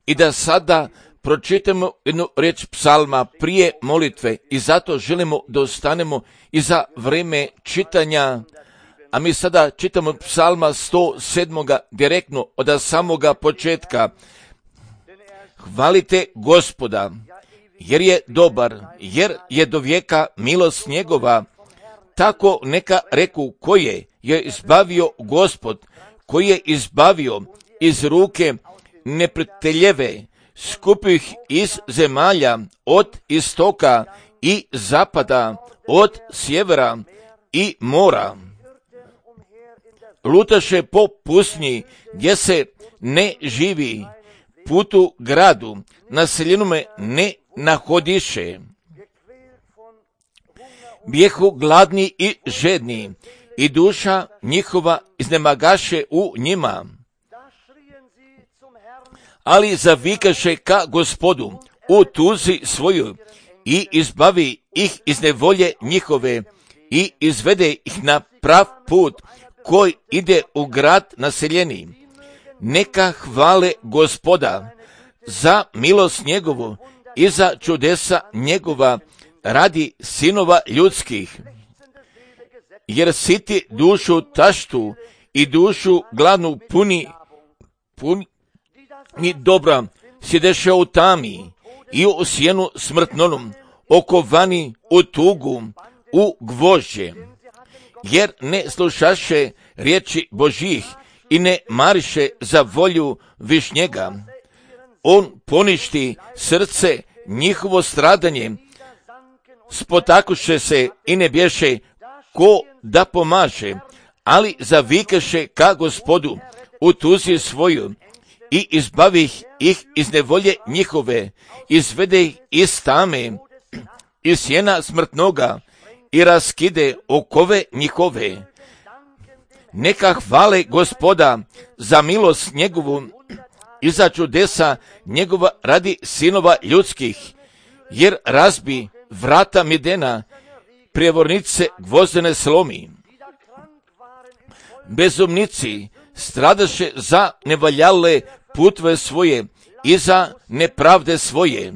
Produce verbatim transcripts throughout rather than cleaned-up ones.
I da sada pročitamo jednu riječ psalma prije molitve i zato želimo da ostanemo i za vrijeme čitanja, a mi sada čitamo psalma sto sedam direktno od samoga početka. Hvalite Gospoda, jer je dobar, jer je do vijeka milost njegova. Tako neka reku koje je izbavio Gospod, koji je izbavio iz ruke neprijateljeve, skupih iz zemalja, od istoka i zapada, od sjevera i mora. Lutaše po pustinji gdje se ne živi, putu gradu naseljenome ne nahodiše. Bijehu gladni i žedni, i duša njihova iznemagaše u njima. Ali zavikaše ka Gospodu u tuzi svoju i izbavi ih iz nevolje njihove i izvede ih na prav put koji ide u grad naseljeni. Neka hvale Gospoda za milost njegovu i za čudesa njegova radi sinova ljudskih. Jer siti dušu taštu i dušu gladnu puni, puni dobra, sjedeše u tami i u sjenu smrtnonom, okovani u tugu, u gvožđe. Jer ne slušaše riječi Božjih i ne mariše za volju višnjega. On poništi srce njihovo stradanje, spotakuše se i ne bješe ko da pomaže, ali zavikaše ka Gospodu u tuzi svoju i izbavi ih iz nevolje njihove, izvede ih iz tame, iz sjena smrtnoga i raskide okove njihove. Neka hvale Gospoda za milost njegovu i za čudesa njegova radi sinova ljudskih, jer razbi vrata Midena, prijevornice gvozdene slomi. Bezumnici stradaše za nevaljale putve svoje i za nepravde svoje.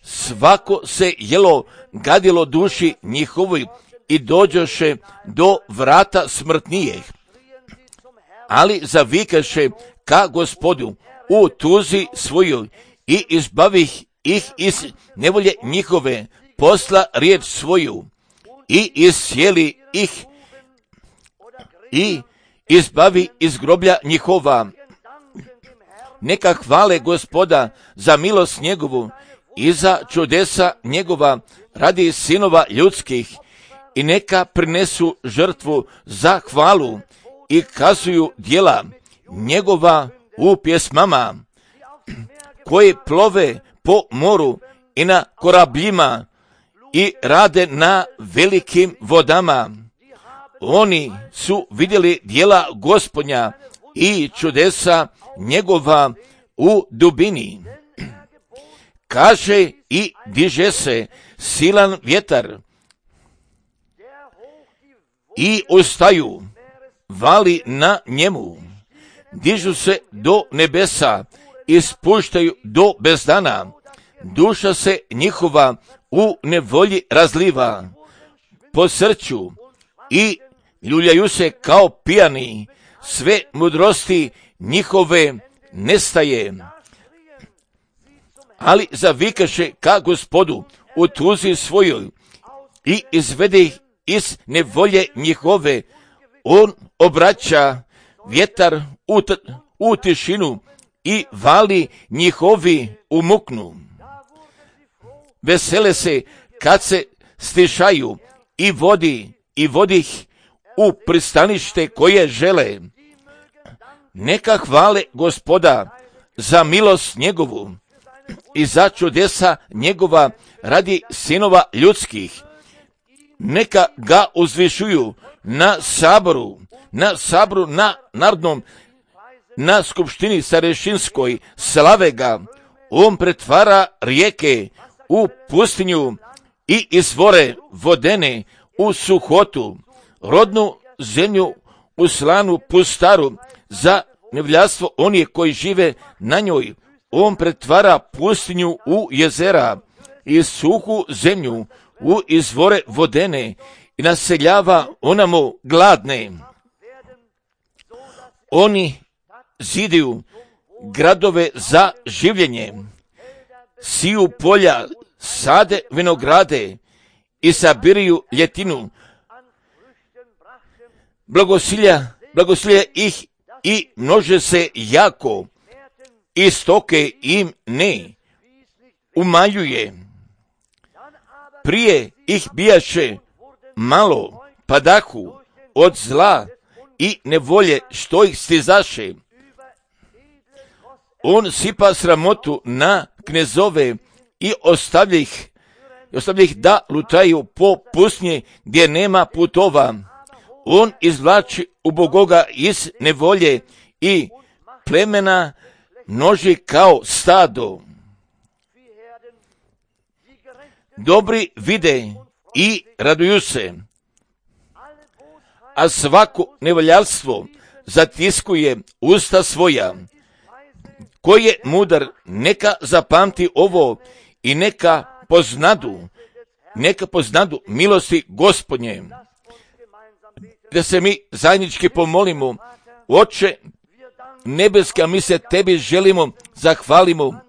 Svako se jelo gadilo duši njihovi i dođoše do vrata smrtnijeg. Ali zavikaše ka Gospodu u tuzi svoju i izbavih ih iz nevolje njihove, posla riječ svoju i isjeli ih i izbavi iz groblja njihova. Neka hvale Gospoda za milost njegovu i za čudesa njegova radi sinova ljudskih i neka prinesu žrtvu za hvalu i kazuju djela njegova u pjesmama, koji plove po moru i na korabljima i rade na velikim vodama. Oni su vidjeli djela Gospodnja i čudesa njegova u dubini. Kaže i diže se silan vjetar i ustaju, vali na njemu. Dižu se do nebesa i spuštaju do bezdana. Duša se njihova u nevolji razliva po srcu i ljuljaju se kao pijani. Sve mudrosti njihove nestaje. Ali zavikaše ka Gospodu u tuzi svojoj i izvede ih iz nevolje njihove. On obraća vjetar u, t- u tišinu i vali njihovi u muknu. Vesele se kad se stišaju i vodi i vodi ih u pristanište koje žele. Neka hvale Gospoda za milost njegovu i za čudesa njegova radi sinova ljudskih. Neka ga uzvišuju na saboru, na saboru na narodnom, na skupštini starešinskoj, slave ga. On pretvara rijeke u pustinju i izvore vodene u suhotu, rodnu zemlju u slanu pustaru za nevljastvo onih koji žive na njoj. On pretvara pustinju u jezera i suhu zemlju u izvore vodene i naseljava onamo gladne. Oni zidaju gradove za življenje, siju polja, sade vinograde i sabiraju ljetinu. Blagosilja, blagosilja ih i množe se jako, i stoke im ne umanjuje. Prije ih bijaše malo, padahu od zla i nevolje što ih stizaše. On sipa sramotu na knezove i ostavlja ih, ostavlja ih da lutaju po pustinji gdje nema putova. On izvlači ubogoga iz nevolje i plemena množi kao stado. Dobri vide i raduju se, a svako nevoljarstvo zatiskuje usta svoja. Ko je mudar, neka zapamti ovo i neka poznadu, neka poznadu milosti Gospodnje. Da se mi zajednički pomolimo. Oče nebeski, a mi se tebi želimo, zahvalimo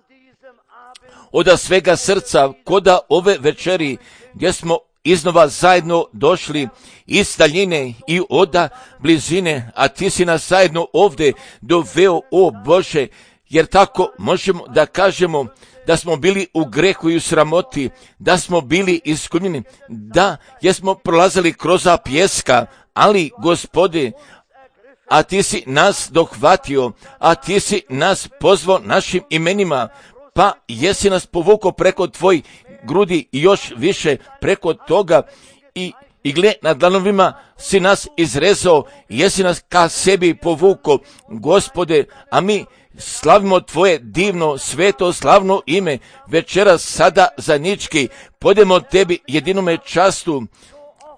od svega srca koda ove večeri gdje smo iznova zajedno došli iz daljine i oda blizine, a ti si nas zajedno ovdje doveo, o Bože, jer tako možemo da kažemo da smo bili u grehu i u sramoti, da smo bili iskunjeni, da jesmo prolazili kroz pjeska, ali Gospode, a ti si nas dohvatio, a ti si nas pozvao našim imenima, pa jesi nas povukao preko tvojih grudi i još više preko toga i, i gle, na dlanovima si nas izrezao, jesi nas ka sebi povukao, Gospode, a mi slavimo tvoje divno, sveto, slavno ime, večeras sada zajednički podemo tebi jedinome častu.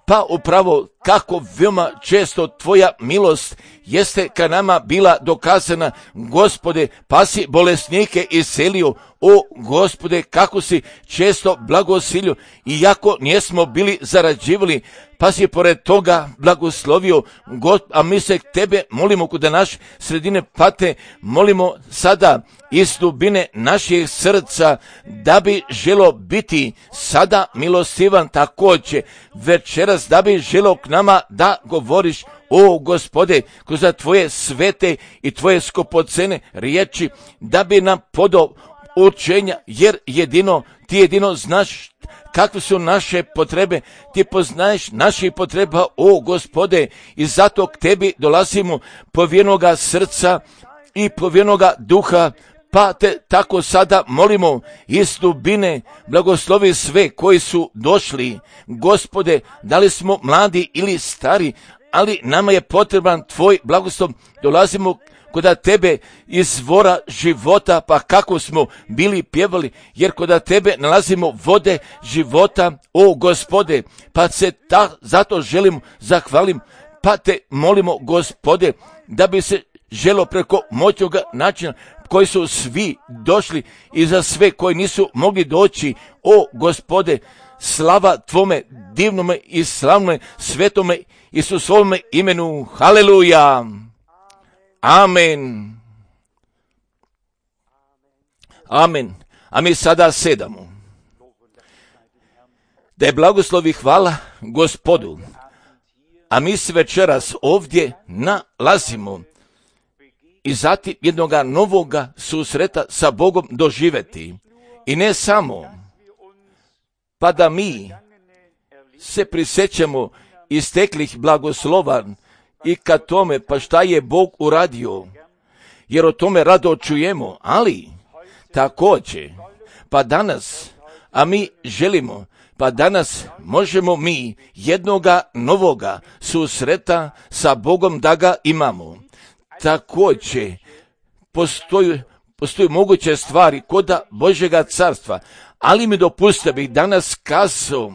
Pa upravo kako veoma često tvoja milost jeste ka nama bila dokazana, Gospode, pa si bolesnike iscelio, o Gospode, kako si često blagosilio, iako nismo bili zarađivali, pa si pored toga blagoslovio, God, a mi se tebe molimo kuda naš sredine pate, molimo sada iz dubine naših srca da bi želo biti sada milostivan također večeras, da bi želo k nama da govoriš, o Gospode, kroz tvoje svete i tvoje skopocene riječi, da bi nam podao učenja, jer jedino, ti jedino znaš kakve su naše potrebe, ti poznaješ naših potreba, o Gospode, i zato k tebi dolazimo povjerenoga srca i povjerenoga duha, pa te tako sada molimo iz dubine, blagoslovi sve koji su došli, Gospode, da li smo mladi ili stari, ali nama je potreban tvoj blagoslov, dolazimo kod tebe izvora života, pa kako smo bili pjevali, jer kod tebe nalazimo vode života, o Gospode, pa se ta, zato želim, zahvalim, pa te molimo, Gospode, da bi se želo preko moćnoga načina koji su svi došli i za sve koji nisu mogli doći, o Gospode, slava tvome divnome i slavnome svetome Isusovome imenu, haleluja, amen, amen. A mi sada sedamo. Da je blagoslovi hvala Gospodu, a mi se večeras ovdje nalazimo i zatim jednoga novoga susreta sa Bogom doživjeti. I ne samo, pa da mi se prisjećamo isteklih blagoslova i ka tome, pa šta je Bog uradio, jer o tome rado čujemo, ali također, pa danas, a mi želimo, pa danas možemo mi jednoga novoga susreta sa Bogom da ga imamo. Također, postoji, postoji moguće stvari koda Božjega carstva, ali mi dopustite bih danas kazao,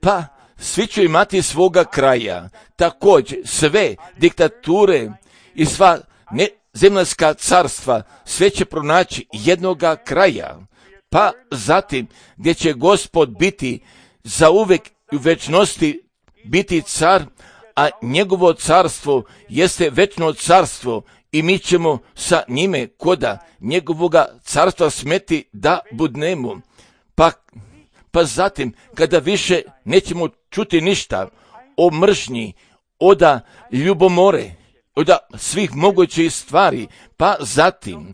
pa svi će imati svoga kraja, također sve diktature i sva nezemljska carstva sve će pronaći jednoga kraja, pa zatim gdje će Gospod biti zauvek u večnosti biti car, a njegovo carstvo jeste večno carstvo i mi ćemo sa njime koda njegovoga carstva smeti da budnemo. Pa, pa zatim kada više nećemo čuti ništa o mržnji, oda ljubomore, oda svih mogućih stvari, pa zatim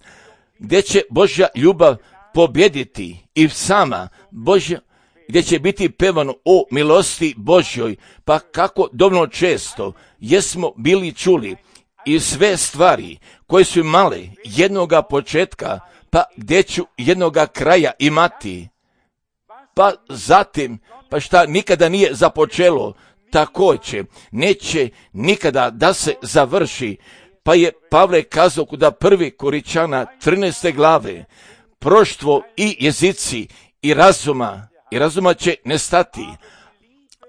gdje će Božja ljubav pobjediti i sama Božja, gdje će biti pevano o milosti Božjoj, pa kako dovoljno često jesmo bili čuli i sve stvari koje su male jednoga početka, pa gdje ću jednoga kraja imati, pa zatim, pa šta nikada nije započelo, također neće nikada da se završi, pa je Pavle kazao kuda prvi Koričana trinaeste glave, proštvo i jezici i razuma, i razuma će nestati,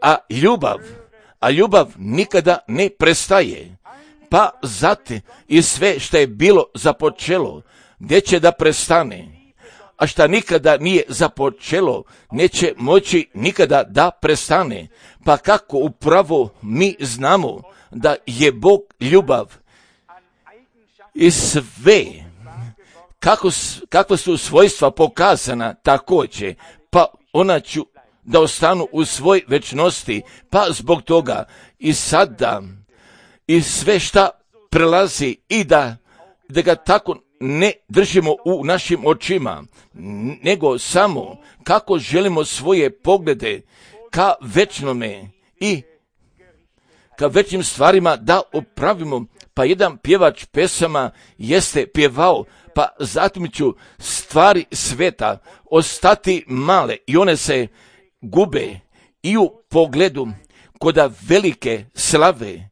a ljubav, a ljubav nikada ne prestaje, pa zatim i sve što je bilo započelo, gdje će da prestane, a šta nikada nije započelo, neće moći nikada da prestane, pa kako upravo mi znamo da je Bog ljubav i sve, kako, kakva su svojstva pokazana također, pa ona ću da ostanu u svoj večnosti, pa zbog toga i sada i sve šta prelazi i da, da ga tako ne držimo u našim očima, nego samo kako želimo svoje poglede ka večnome i ka večnim stvarima da opravimo. Pa jedan pjevač pesama jeste pjevao, pa zatim ću stvari sveta ostati male i one se gube i u pogledu koda velike slave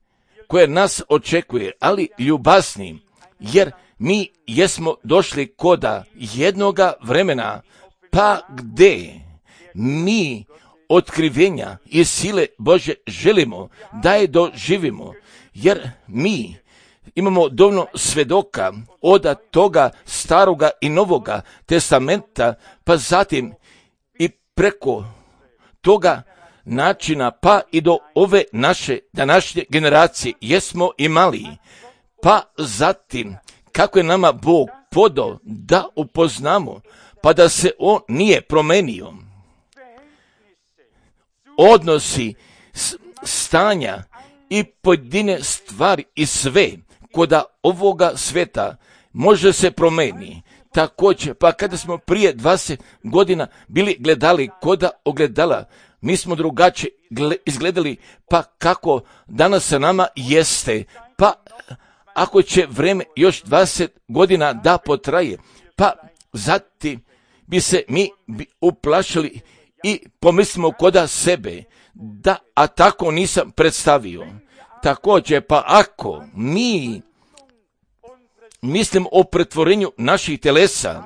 koje nas očekuje, ali ljubasni, jer mi jesmo došli koda jednoga vremena, pa gdje mi otkrivenja i sile Bože želimo da je doživimo, jer mi imamo dovoljno svedoka od toga staroga i novoga testamenta, pa zatim i preko toga načina, pa i do ove naše današnje generacije jesmo imali, pa zatim kako je nama Bog podao da upoznamo, pa da se on nije promenio. Odnosi, stanja i pojedine stvari i sve koda ovoga sveta može se promeni. Također, pa kada smo prije dvadeset godina bili gledali koda ogledala, mi smo drugačije izgledali, pa kako danas sa nama jeste, pa ako će vreme još dvadeset godina da potraje, pa zatim bi se mi bi uplašili i pomislimo koda sebe, da, a tako nisam predstavio. Također, pa ako mi mislim o pretvorenju naših telesa,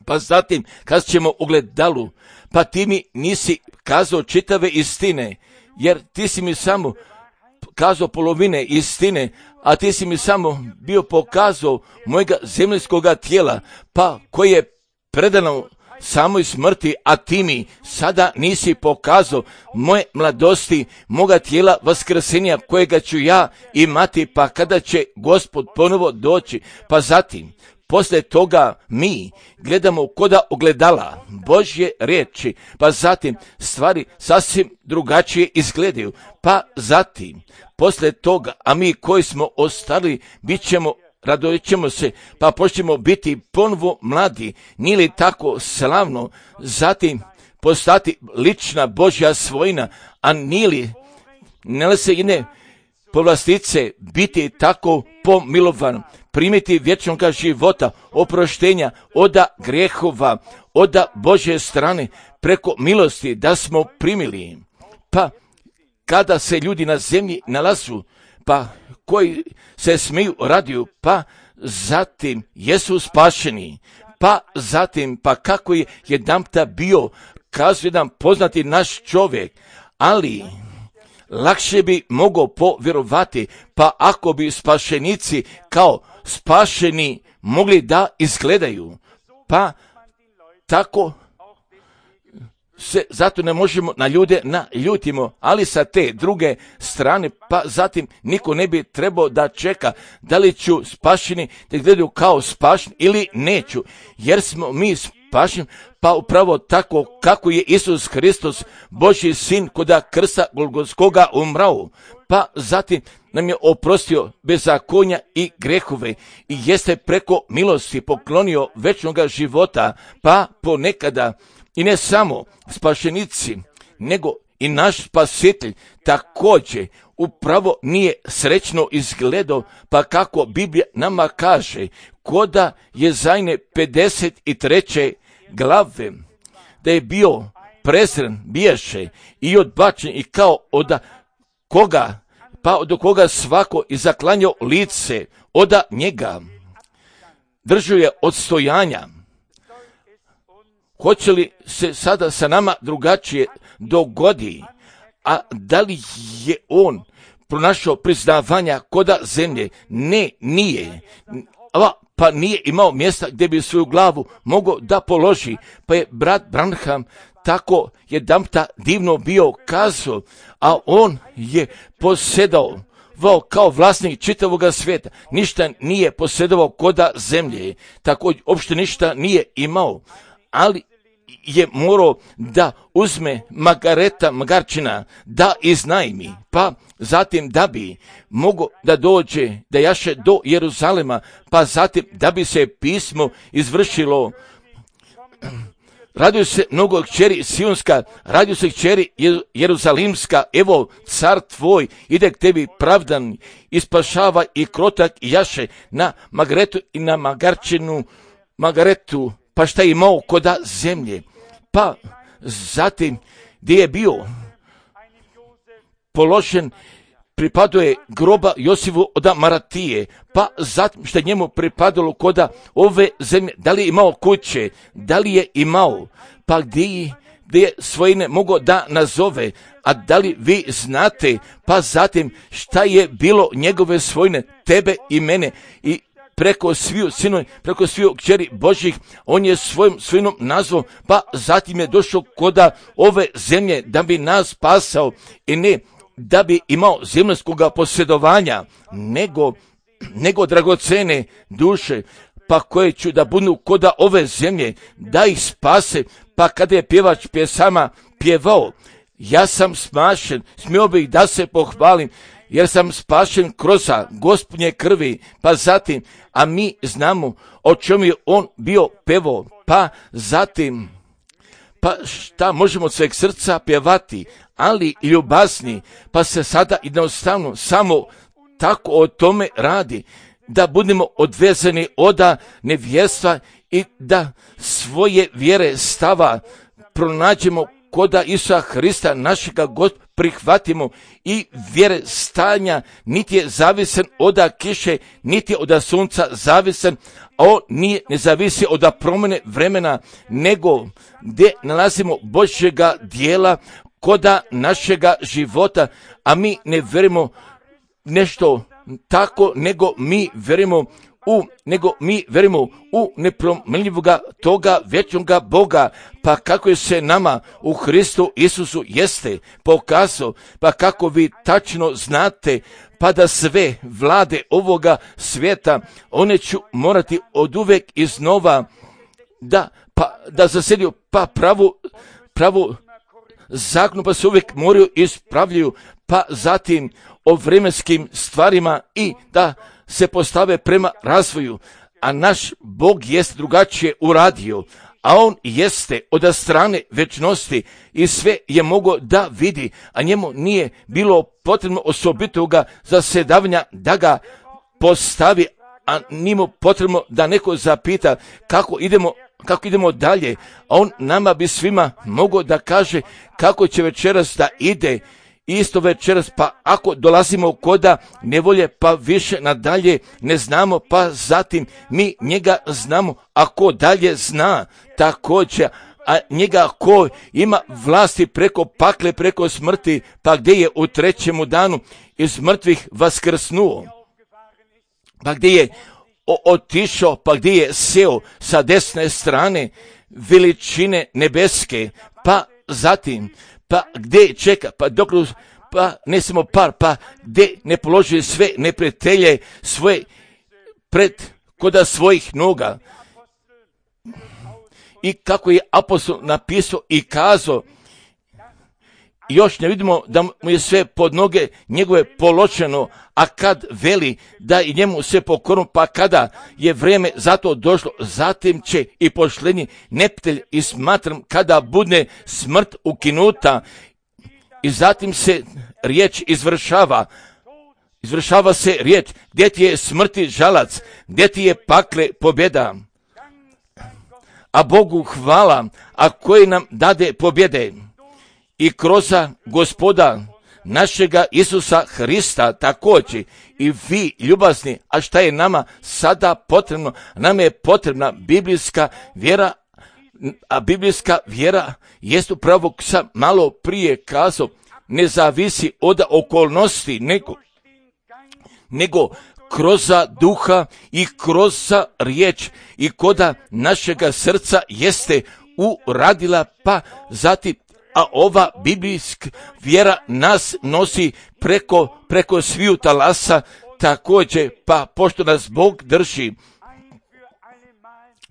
pa zatim kad ćemo ogledalu, pa ti mi nisi kazao čitave istine, jer ti si mi samo kazao polovine istine, a ti si mi samo bio pokazao mojega zemljskoga tijela, pa koje je predano samoj smrti, a ti mi sada nisi pokazao moje mladosti, moga tijela vaskrsenja kojega ću ja imati, pa kada će Gospod ponovo doći, pa zatim poslije toga mi gledamo koda ogledala Božje riječi, pa zatim stvari sasvim drugačije izgledaju, pa zatim poslije toga, a mi koji smo ostali bit ćemo, radovat ćemo se, pa počnemo biti ponovo mladi, nije li tako slavno, zatim postati lična Božja svojina, a nije li, ne li se ine povlastice biti tako pomilovan, primiti vječnoga života, oproštenja oda grehova, oda Božje strane, preko milosti da smo primili. Pa kada se ljudi na zemlji nalazu, pa koji se smiju radiju, pa zatim jesu spašeni, pa zatim, pa kako je jedanputa bio, kazuje jedan poznati naš čovjek, ali, lakše bi mogao povjerovati, pa ako bi spašenici kao spašeni mogli da izgledaju, pa tako se zato ne možemo na ljude naljutimo, ali sa te druge strane, pa zatim niko ne bi trebao da čeka da li ću spašeni da gledaju kao spašeni ili neću, jer smo mi spašeni, pa upravo tako kako je Isus Hristos, Božji sin, koda krsta Golgotskoga umrao, pa zatim nam je oprostio bezakonja i grehove i jeste preko milosti poklonio večnoga života, pa ponekada i ne samo spašenici, nego i naš spasitelj također upravo nije srećno izgledao, pa kako Biblija nama kaže, koda Jezajne pedeset treće glave, da je bio prezren, biješe i odbačen i kao od koga, pa od koga svako i zaklanjao lice od njega. Držao je odstojanja. Hoće li se sada sa nama drugačije dogodi? A da li je on pronašao priznavanja koda zemlje? Ne, nije. Pa nije imao mjesta gdje bi svoju glavu mogao da položi. Pa je brat Branham tako jedanputa divno bio kazao, a on je posjedao kao vlasnik čitavoga svijeta. Ništa nije posjedovao koda zemlje, tako uopšte ništa nije imao, ali je morao da uzme Margareta Magarčina, da iznajmi, pa zatim da bi mogao da dođe, da jaše do Jeruzalema, pa zatim da bi se pismo izvršilo. Radio se mnogo kćeri Sionska, radio se kćeri Jeruzalimska, evo car tvoj ide k tebi pravdan, ispašava i krotak i jaše na Margaretu i na Magarčinu, Margaretu, pa šta je imao koda zemlje. Pa zatim gdje je bio položen, pripadao je groba Josifu od Maratije, pa zatim što je njemu pripadalo koda ove zemlje, da li je imao kuće, da li je imao, pa gdje, gdje je svojine mogao da nazove, a da li vi znate, pa zatim šta je bilo njegove svojine, tebe i mene, i preko sviju sinoj, preko sviju kćeri Božjih, on je svojim svojinom nazvao, pa zatim je došao koda ove zemlje da bi nas spasao i ne da bi imao zemaljskoga posjedovanja, nego, nego dragocene duše, pa koje ću da budu koda ove zemlje, da ih spase, pa kada je pjevač pjesama pjevao, ja sam spašen, smio bih da se pohvalim, jer sam spašen kroz Gospodnje krvi, pa zatim, a mi znamo o čemu je on bio pevao, pa zatim, pa šta možemo od sveg srca pjevati, ali ljubazni, pa se sada jednostavno samo tako o tome radi, da budemo odvezani od nevjerstva i da svoje vjere stava pronađemo koda Isusa Hrista, našega Gospoda, prihvatimo i vjere stanja, niti je zavisan od kiše, niti je od sunca zavisan, a on nije, ne zavisi od promjene vremena, nego gdje nalazimo Božjega dijela koda našega života, a mi ne verimo nešto tako, nego mi verimo u, nego mi verimo u nepromjenjivoga toga vječnoga Boga, pa kako je se nama u Hristu Isusu jeste pokazao, pa kako vi tačno znate, pa da sve vlade ovoga svijeta, one ću morati oduvek iznova da, pa, da zasjediju, pa pravu, pravu zakonu, pa se uvijek moraju ispravljaju, pa zatim o vremenskim stvarima i da se postave prema razvoju, a naš Bog jest drugačije uradio, a on jeste od strane večnosti i sve je mogao da vidi, a njemu nije bilo potrebno osobitoga zasedavanja da ga postavi, a nije mu potrebno da neko zapita kako idemo, kako idemo dalje, a on nama bi svima mogao da kaže kako će večeras da ide. Isto večeras, pa ako dolazimo koda nevolje, pa više nadalje ne znamo, pa zatim mi njega znamo, a ko dalje zna, također a njega ko ima vlasti preko pakle, preko smrti, pa gdje je u trećemu danu iz mrtvih vaskrsnuo, pa gdje je otišao, pa gdje je seo sa desne strane veličine nebeske, pa zatim, pa gdje čeka, pa dok, pa ne samo par, pa gdje ne položi sve neprijatelje svoje pred koda svojih noga. I kako je apostol napisao i kazao, još ne vidimo da mu je sve pod noge njegove položeno, a kad veli da i njemu sve pokorno, pa kada je vrijeme za to došlo, zatim će i pošlednji neprijatelj, i smatram kada bude smrt ukinuta, i zatim se riječ izvršava, izvršava se riječ, gdje ti je smrti žalac, gdje ti je pakle pobjeda. A Bogu hvala, a koji nam dade pobjede i kroz Gospoda našega Isusa Hrista također. I vi ljubazni, a šta je nama sada potrebno? Nama je potrebna biblijska vjera, a biblijska vjera jest upravo, sam malo prije kazao, ne zavisi od okolnosti, nego, nego kroz duha i kroz riječ i koda našega srca jeste uradila, pa zatim, a ova biblijska vjera nas nosi preko, preko sviju talasa također, pa pošto nas Bog drži,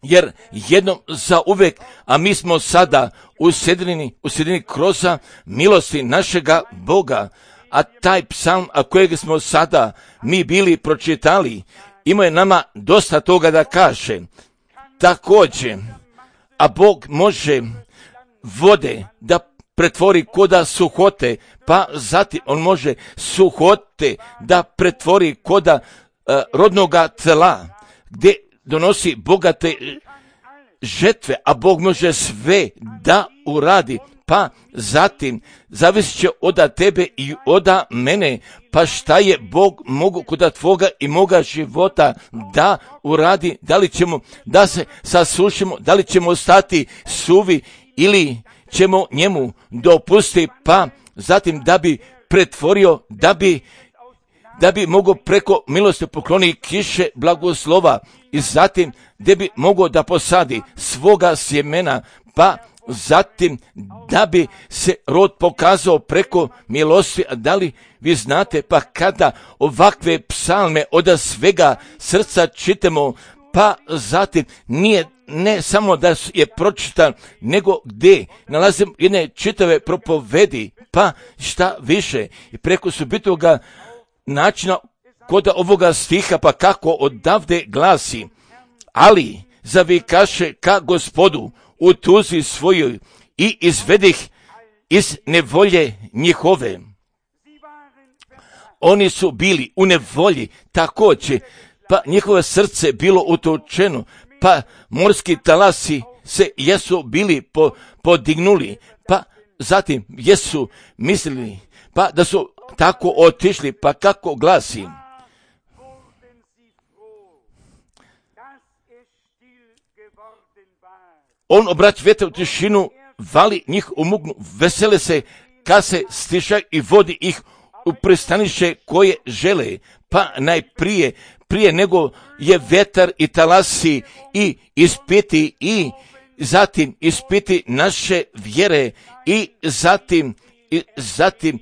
jer jednom za uvek, a mi smo sada usedini, usedini kroz milosti našega Boga, a taj psalm, a kojeg smo sada mi bili pročitali, ima je nama dosta toga da kaže. Također, a Bog može vode da pretvori koda suhote, pa zatim on može suhote da pretvori koda uh, rodnoga tela, gdje donosi bogate žetve, a Bog može sve da uradi, pa zatim zavisit će od tebe i od mene, pa šta je Bog mogu kod tvoga i moga života da uradi, da li ćemo da se sasušimo, da li ćemo ostati suvi ili ćemo njemu dopustiti, pa zatim da bi pretvorio, da bi da bi mogao preko milosti pokloni kiše blagoslova i zatim da bi mogao da posadi svoga sjemena, pa zatim da bi se rod pokazao preko milosti. A da li vi znate, pa kada ovakve psalme od svega srca čitamo, pa zatim nije ne samo da je pročitan, nego gdje nalazim jedne čitave propovedi, pa šta više, i preko subitoga načina kod ovoga stiha, pa kako odavde glasi, ali zavikaše ka Gospodu u tuzi svojoj i izvedih iz nevolje njihove. Oni su bili u nevolji također, pa njihovo srce bilo utočeno, pa morski talasi se jesu bili po, podignuli, pa zatim jesu mislili, pa da su tako otišli, pa kako glasi. On obraća vjetar u tišinu, vali njih u mugnu, vesele se, kad se stiša i vodi ih u pristanište koje žele, pa najprije, prije nego je vjetar i talasi i ispiti i zatim ispiti naše vjere i zatim, i zatim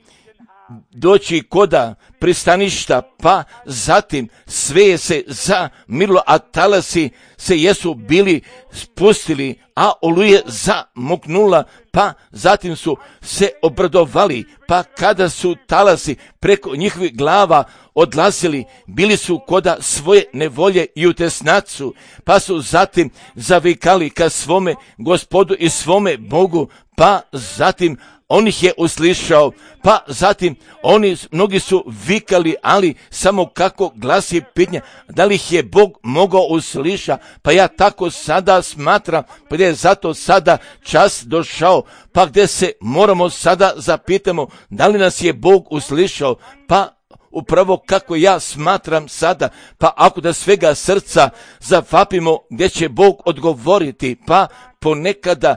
doći koda pristaništa, pa zatim sve se zamirilo, a talasi se jesu bili spustili, a oluje zamoknula, pa zatim su se obradovali, pa kada su talasi preko njihovih glava odlazili, bili su koda svoje nevolje i u tesnacu, pa su zatim zavikali ka svome Gospodu i svome Bogu, pa zatim on ih je uslišao, pa zatim oni, mnogi su vikali, ali samo kako glasi pitanje, da li ih je Bog mogao usliša, pa ja tako sada smatram, pa je zato sada čas došao, pa gdje se moramo sada zapitamo, da li nas je Bog uslišao, pa upravo kako ja smatram sada, pa ako da svega srca zavapimo gdje će Bog odgovoriti, pa ponekada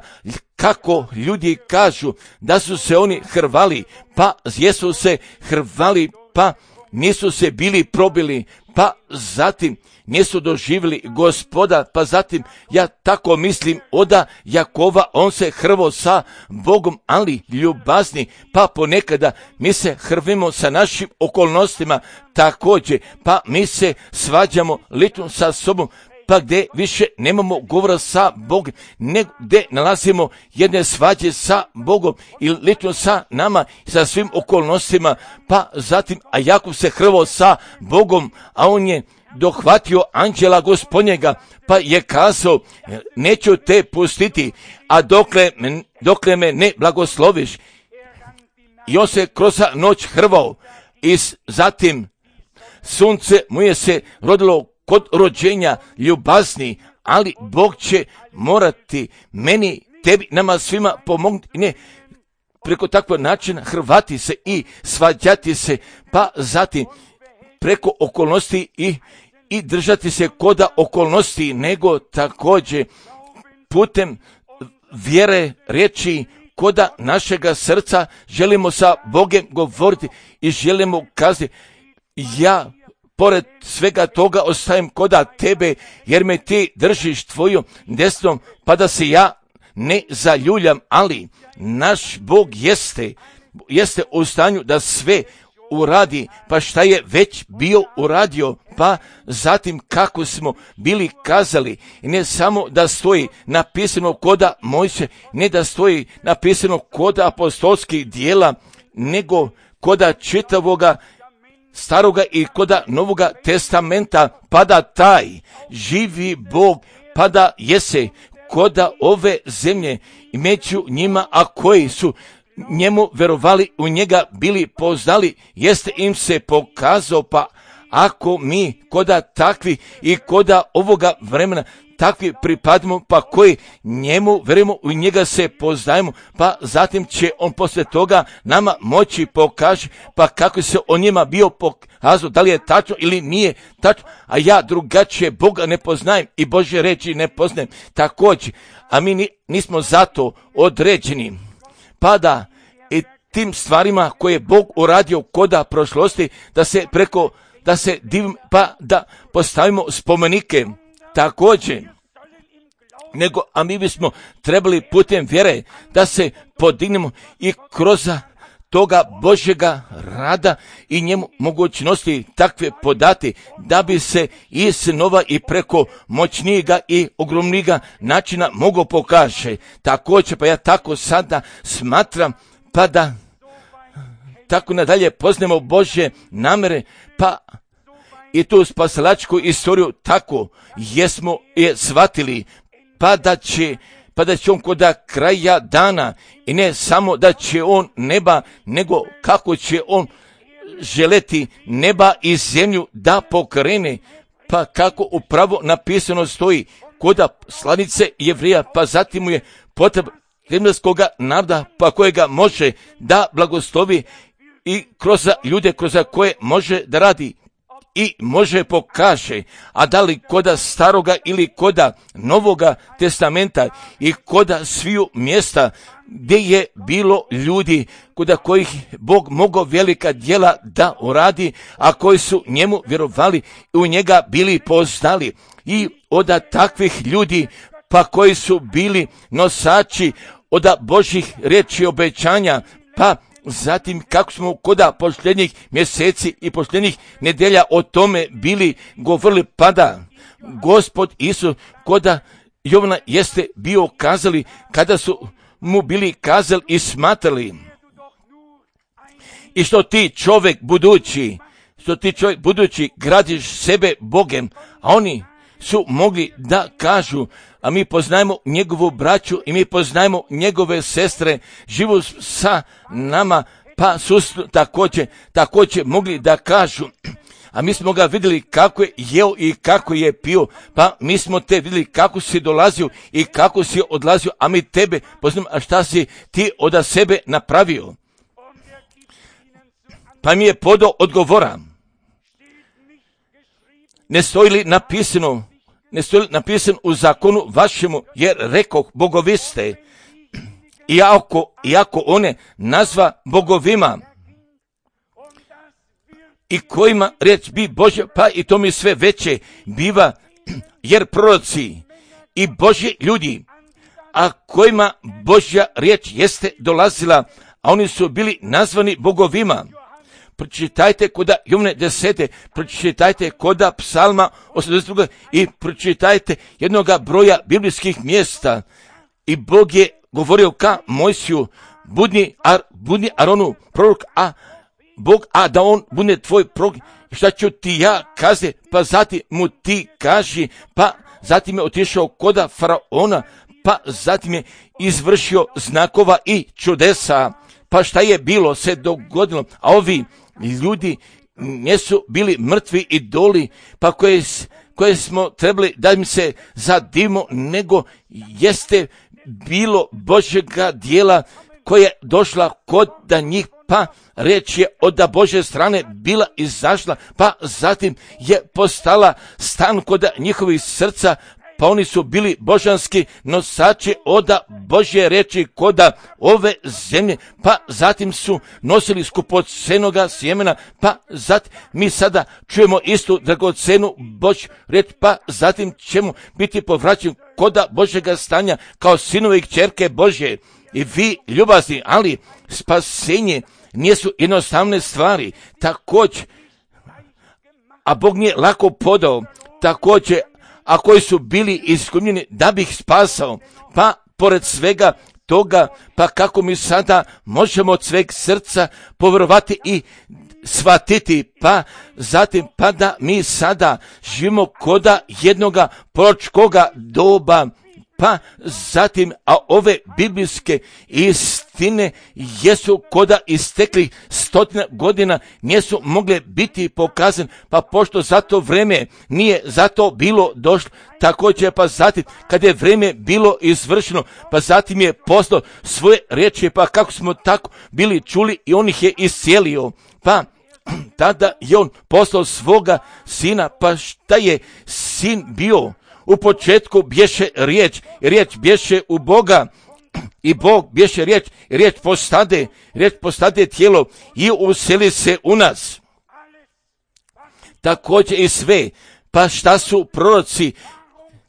kako ljudi kažu da su se oni hrvali, pa jesu se hrvali, pa nisu se bili probili, pa zatim nisu doživjeli Gospoda, pa zatim ja tako mislim oda Jakova, on se hrvo sa Bogom, ali ljubazni, pa ponekada mi se hrvimo sa našim okolnostima također, pa mi se svađamo lično sa sobom, pa gdje više nemamo govora sa Bogom, nego gdje nalazimo jedne svađe sa Bogom i lično sa nama, sa svim okolnostima, pa zatim, a Jakov se hrvo sa Bogom, a on je dohvatio anđela Gospodnjega, pa je kazao, neću te pustiti, a dokle, dokle me ne blagosloviš. I on se kroz noć hrvao i zatim sunce mu je se rodilo kod rođenja ljubazni, ali Bog će morati meni, tebi, nama svima pomognuti, ne preko takvog načina hrvati se i svađati se, pa zatim preko okolnosti i, i držati se koda okolnosti, nego također putem vjere riječi koda našega srca želimo sa Bogom govoriti i želimo kazati, ja pored svega toga ostajem koda tebe, jer me ti držiš tvojom desnom, pa da se ja ne zaljuljam, ali naš Bog jeste, jeste u stanju da sve uradi, pa šta je već bio uradio, pa zatim kako smo bili kazali, ne samo da stoji napisano koda Mojsije, ne da stoji napisano koda apostolskih dijela, nego koda čitavoga staroga i koda novoga testamenta, pa da taj živi Bog, pa da jese koda ove zemlje i među njima, a koji su njemu verovali, u njega bili poznali, jeste im se pokazao, pa ako mi koda takvi i koda ovoga vremena takvi pripadimo, pa koji njemu verujemo, u njega se poznajemo, pa zatim će on poslije toga nama moći pokaže, pa kako se o njima bio pokazao, da li je tačno ili nije tačno, a ja drugačije Boga ne poznajem i Božje reči ne poznajem također, a mi nismo zato određeni, pa da i tim stvarima koje je Bog uradio koda prošlosti, da se preko, da se divimo, pa da postavimo spomenike također, nego, a mi bismo trebali putem vjere da se podignemo i kroz toga Božjega rada i njemu mogućnosti takve podati, da bi se i snova i preko moćnijega i ogromnijega načina mogo pokaže. Također, pa ja tako sada smatram, pa da tako nadalje poznamo Božje namere, pa i tu spasilačku istoriju tako jesmo je shvatili, pa da će, pa da će on koda kraja dana i ne samo da će on neba, nego kako će on želeti neba i zemlju da pokrene, pa kako upravo napisano stoji koda slanice Jevrija, pa zatim mu je potreba rimljanskoga naroda, pa kojega može da blagoslovi i kroz ljude kroz koje može da radi i može pokaže, a da li koda staroga ili koda novoga testamenta i koda sviju mjesta gdje je bilo ljudi koda kojih Bog mogao velika djela da uradi, a koji su njemu vjerovali i u njega bili poznali, i od takvih ljudi pa koji su bili nosači od Božjih riječi obećanja, pa zatim kako smo koda posljednjih mjeseci i posljednjih nedelja o tome bili govorili, pa da Gospod Isus koda Jovana jeste bio kazali, kada su mu bili kazali i smatrali, i što ti čovjek budući, što ti čovjek budući gradiš sebe Bogem, a oni su mogli da kažu, a mi poznajemo njegovu braću i mi poznajemo njegove sestre, živu sa nama, pa su također, također mogli da kažu, a mi smo ga vidjeli kako je jeo i kako je pio, pa mi smo te vidjeli kako si dolazio i kako si odlazio, a mi tebe poznajemo, a šta si ti od sebe napravio? Pa mi je podao odgovora, ne stoji li napisano, ne stoji li napisano u zakonu vašemu, jer rekoh bogovi ste, iako, iako one nazva bogovima, i kojima riječ bi Božja, pa i to mi sve veće biva, jer proroci i Božji ljudi, a kojima Božja riječ jeste dolazila, a oni su bili nazvani bogovima. Pročitajte koda Jovne desete, pročitajte koda Psalma osamdeset dva i pročitajte jednoga broja biblijskih mjesta. I Bog je govorio ka Mojsiju, budni, ar, budni Aronu prorok, a Bog, a da on bude tvoj prorok, šta ću ti ja kaze, pa zatim mu ti kaži, pa zatim je otišao koda Faraona, pa zatim je izvršio znakova i čudesa, pa šta je bilo se dogodilo, a ovi ljudi nisu bili mrtvi idoli, pa koje, koje smo trebali da im se zadivimo, nego jeste bilo Božjega dijela koja je došla kod da njih, pa riječ je od Božje strane bila izašla, pa zatim je postala stan kod njihovih srca, pa oni su bili božanski nosači od Božje riječi koda ove zemlje, pa zatim su nosili skupocenoga sjemena, pa zatim mi sada čujemo istu dragocenu Božju riječ, pa zatim ćemo biti povraćeni koda Božjega stanja kao sinovi i kćerke Božje. I vi ljubazni, ali spasenje nisu jednostavne stvari, također, a Bog nije lako podao, također, a koji su bili iskušeni da bi ih spasao, pa pored svega toga, pa kako mi sada možemo od sveg srca povjerovati i shvatiti, pa zatim pa da mi sada živimo koda jednoga proročkoga doba, pa zatim, a ove biblijske istine jesu koda istekli stotina godina, nisu mogle biti pokazane, pa pošto za to vreme nije zato bilo došlo, također pa zatim, kad je vreme bilo izvršeno, pa zatim je poslao svoje riječi, pa kako smo tako bili čuli i on ih je iscijelio, pa tada je on poslao svoga sina, pa šta je sin bio? U početku bješe riječ, riječ bješe u Boga i Bog bješe riječ, riječ postade, riječ postade tijelo i useli se u nas. Također i sve, pa šta su proroci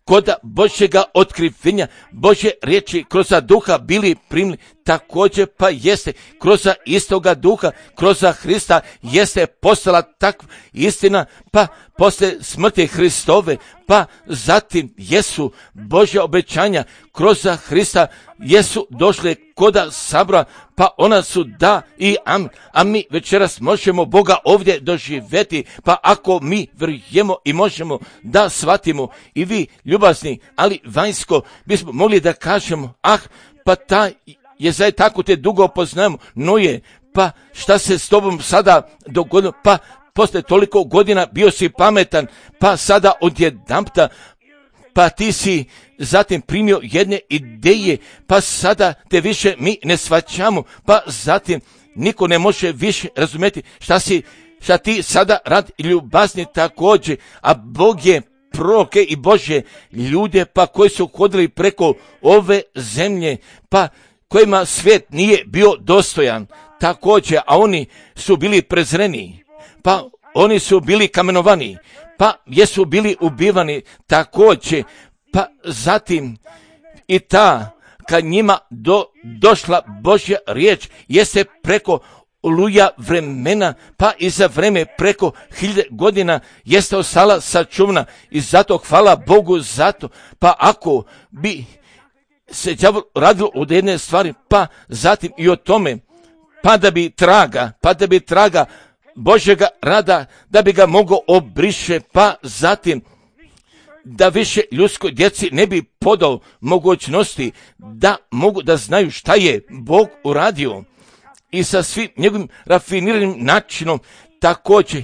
kod Božjega otkrivenja, Božje riječi kroz duha bili primili, također pa jeste kroz istoga duha, kroz Hrista jeste postala takva istina, pa posle smrti Hristove, pa zatim jesu Božja obećanja kroz Hrista jesu došle koda sabora, pa ona su da i amen, a mi večeras možemo Boga ovdje doživjeti, pa ako mi vjerujemo i možemo da shvatimo i vi ljubazni, ali vanjsko bismo mogli da kažemo, ah, pa taj je zaje tako te dugo poznajemo, no je, pa šta se s tobom sada dogodilo, pa posle toliko godina bio si pametan, pa sada odjedanpta, pa ti si zatim primio jedne ideje, pa sada te više mi ne shvaćamo, pa zatim niko ne može više razumjeti šta si, šta ti sada radi ljubazni također, a Bog je proroke i Božje ljude, pa koji su hodili preko ove zemlje, pa kojima svijet nije bio dostojan, također, a oni su bili prezreni, pa oni su bili kamenovani, pa jesu bili ubivani također, pa zatim i ta, kad njima do, došla Božja riječ, jeste preko oluja vremena, pa i za vreme preko hiljade godina jeste ostala sačuvana i zato hvala Bogu zato, pa ako bi se đavol radilo od jedne stvari, pa zatim i o tome, pa da bi traga, pa da bi traga Božjega rada, da bi ga mogao obriše, pa zatim da više ljudskoj djeci ne bi podao mogućnosti da mogu da znaju šta je Bog uradio i sa svim njegovim rafiniranim načinom također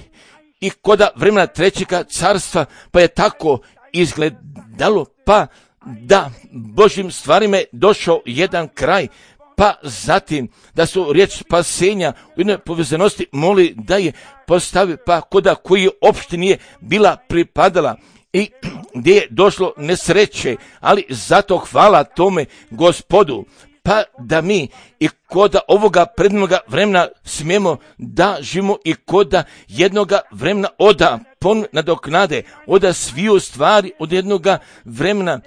i koda vremena trećega carstva, pa je tako izgledalo, pa da Božjim stvarima je došao jedan kraj, pa zatim da su riječ spasenja u jednoj povezanosti moli da je postavi, pa koda koji opšte nije bila pripadala i gdje je došlo nesreće, ali zato hvala tome Gospodu, pa da mi i koda ovoga prednoga vremena smijemo da živimo i koda jednoga vremena oda pon nadoknade, oda sviju stvari od jednoga vremena,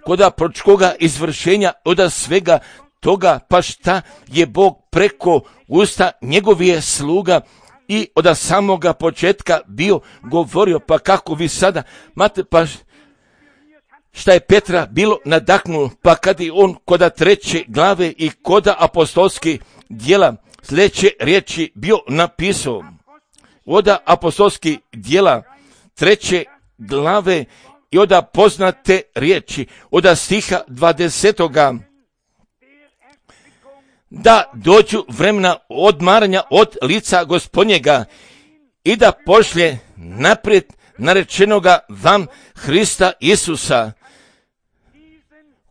koda proročkoga izvršenja, oda svega toga, pa šta je Bog preko usta njegovije sluga i od samoga početka bio govorio, pa kako vi sada, mate, pa šta je Petra bilo nadahnulo, pa kad je on koda treće glave i koda apostolskih djela sljedeće riječi bio napisao, oda apostolskih djela treće glave i oda poznate riječi, oda stiha dvadesetoga, da dođu vremena odmaranja od lica Gospodnjega i da pošlje naprijed narečenoga vam Hrista Isusa,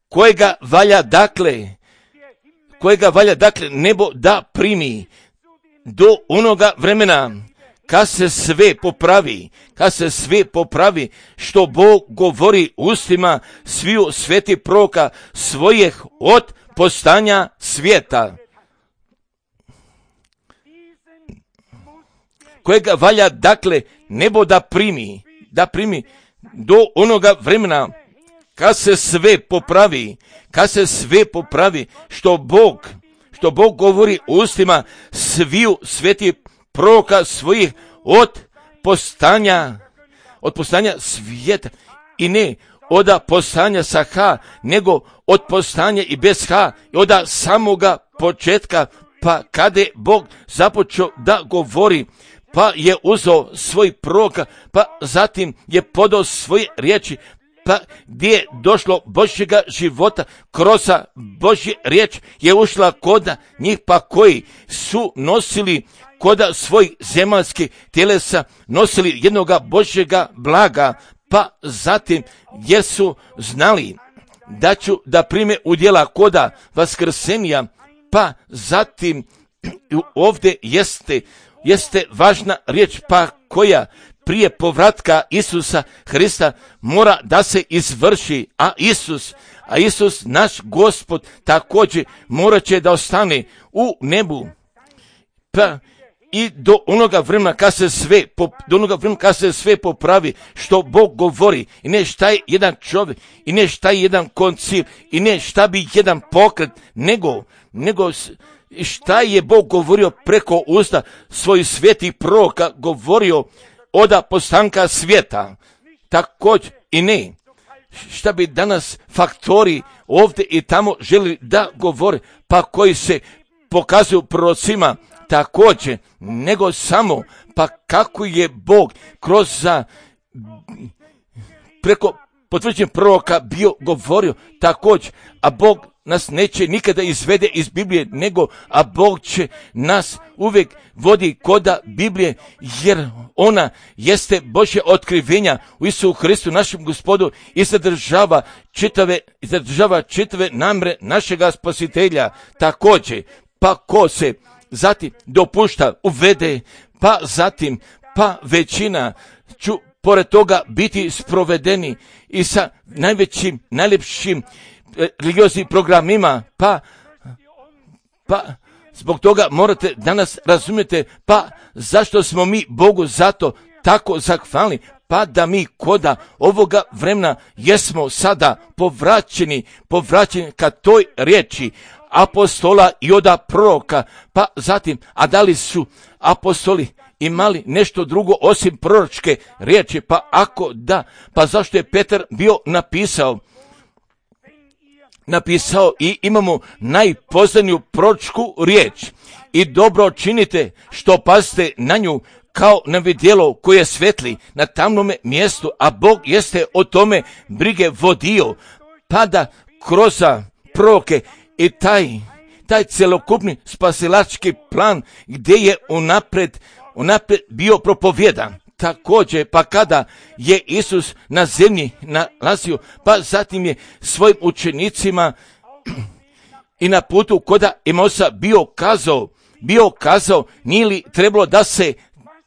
kojega valja dakle, kojega valja dakle nebo da primi do onoga vremena kad se sve popravi, kad se sve popravi što Bog govori ustima sviju sveti proroka svojih od postanja svijeta, kojega valja dakle nebo da primi, da primi do onoga vremena kad se sve popravi, kad se sve popravi što Bog, što Bog govori ustima sviju sveti proroka svojih od postanja, od postanja svijeta, i ne od postanja sa H, nego od postanja i bez H, i od samoga početka, pa kada je Bog započeo da govori, pa je uzeo svoj proroka, pa zatim je podao svoje riječi, pa gdje je došlo Božjega života, kroz Božje riječ je ušla koda njih, pa koji su nosili koda svojih zemaljskih tjelesa, nosili jednoga Božjega blaga, pa zatim jer su znali da ću da prime udjela koda vaskrsenja, pa zatim ovdje jeste, jeste važna riječ, pa koja prije povratka Isusa Hrista mora da se izvrši, a Isus, a Isus naš Gospod također morat će da ostane u nebu. Pa i do onoga vremena kad se sve, do onoga vremena kad se sve popravi što Bog govori, i ne šta je jedan čovjek, i ne šta je jedan koncil, i ne šta bi jedan pokret, nego, nego šta je Bog govorio preko usta svojih svetih proroka, govorio od postanka svijeta, također i ne šta bi danas faktori ovdje i tamo želi da govore, pa koji se pokazuju prorocima također, nego samo pa kako je Bog kroz za preko potvrđen proroka bio govorio također, a Bog nas neće nikada izvede iz Biblije, nego a Bog će nas uvijek vodi koda Biblije, jer ona jeste Božje otkrivenja u Isusu Hristu našem Gospodu i zadržava čitave, zadržava čitave namre našega Spasitelja. Također, pa ko se zatim dopušta uvede, pa zatim pa većina ću pored toga biti sprovedeni i sa najvećim, najljepšim religioznim programima, pa, pa zbog toga morate danas razumjeti, pa zašto smo mi Bogu zato tako zahvalni, pa da mi koda ovoga vremena jesmo sada povraćeni, povraćeni ka toj riječi apostola i oda proroka, pa zatim, a da li su apostoli imali nešto drugo osim proročke riječi, pa ako da, pa zašto je Petar bio napisao, napisao i imamo najpoznaniju proročku riječ i dobro činite što pazite na nju kao na vidjelo koje je svetli na tamnome mjestu, a Bog jeste o tome brige vodio, pa da kroz proroke i taj, taj celokupni spasilački plan gdje je unapred, unapred bio propovjedan. Također, pa kada je Isus na zemlji nalazio, pa zatim je svojim učenicima i na putu koda Emausa bio kazao, bio kazao, nije li trebalo da se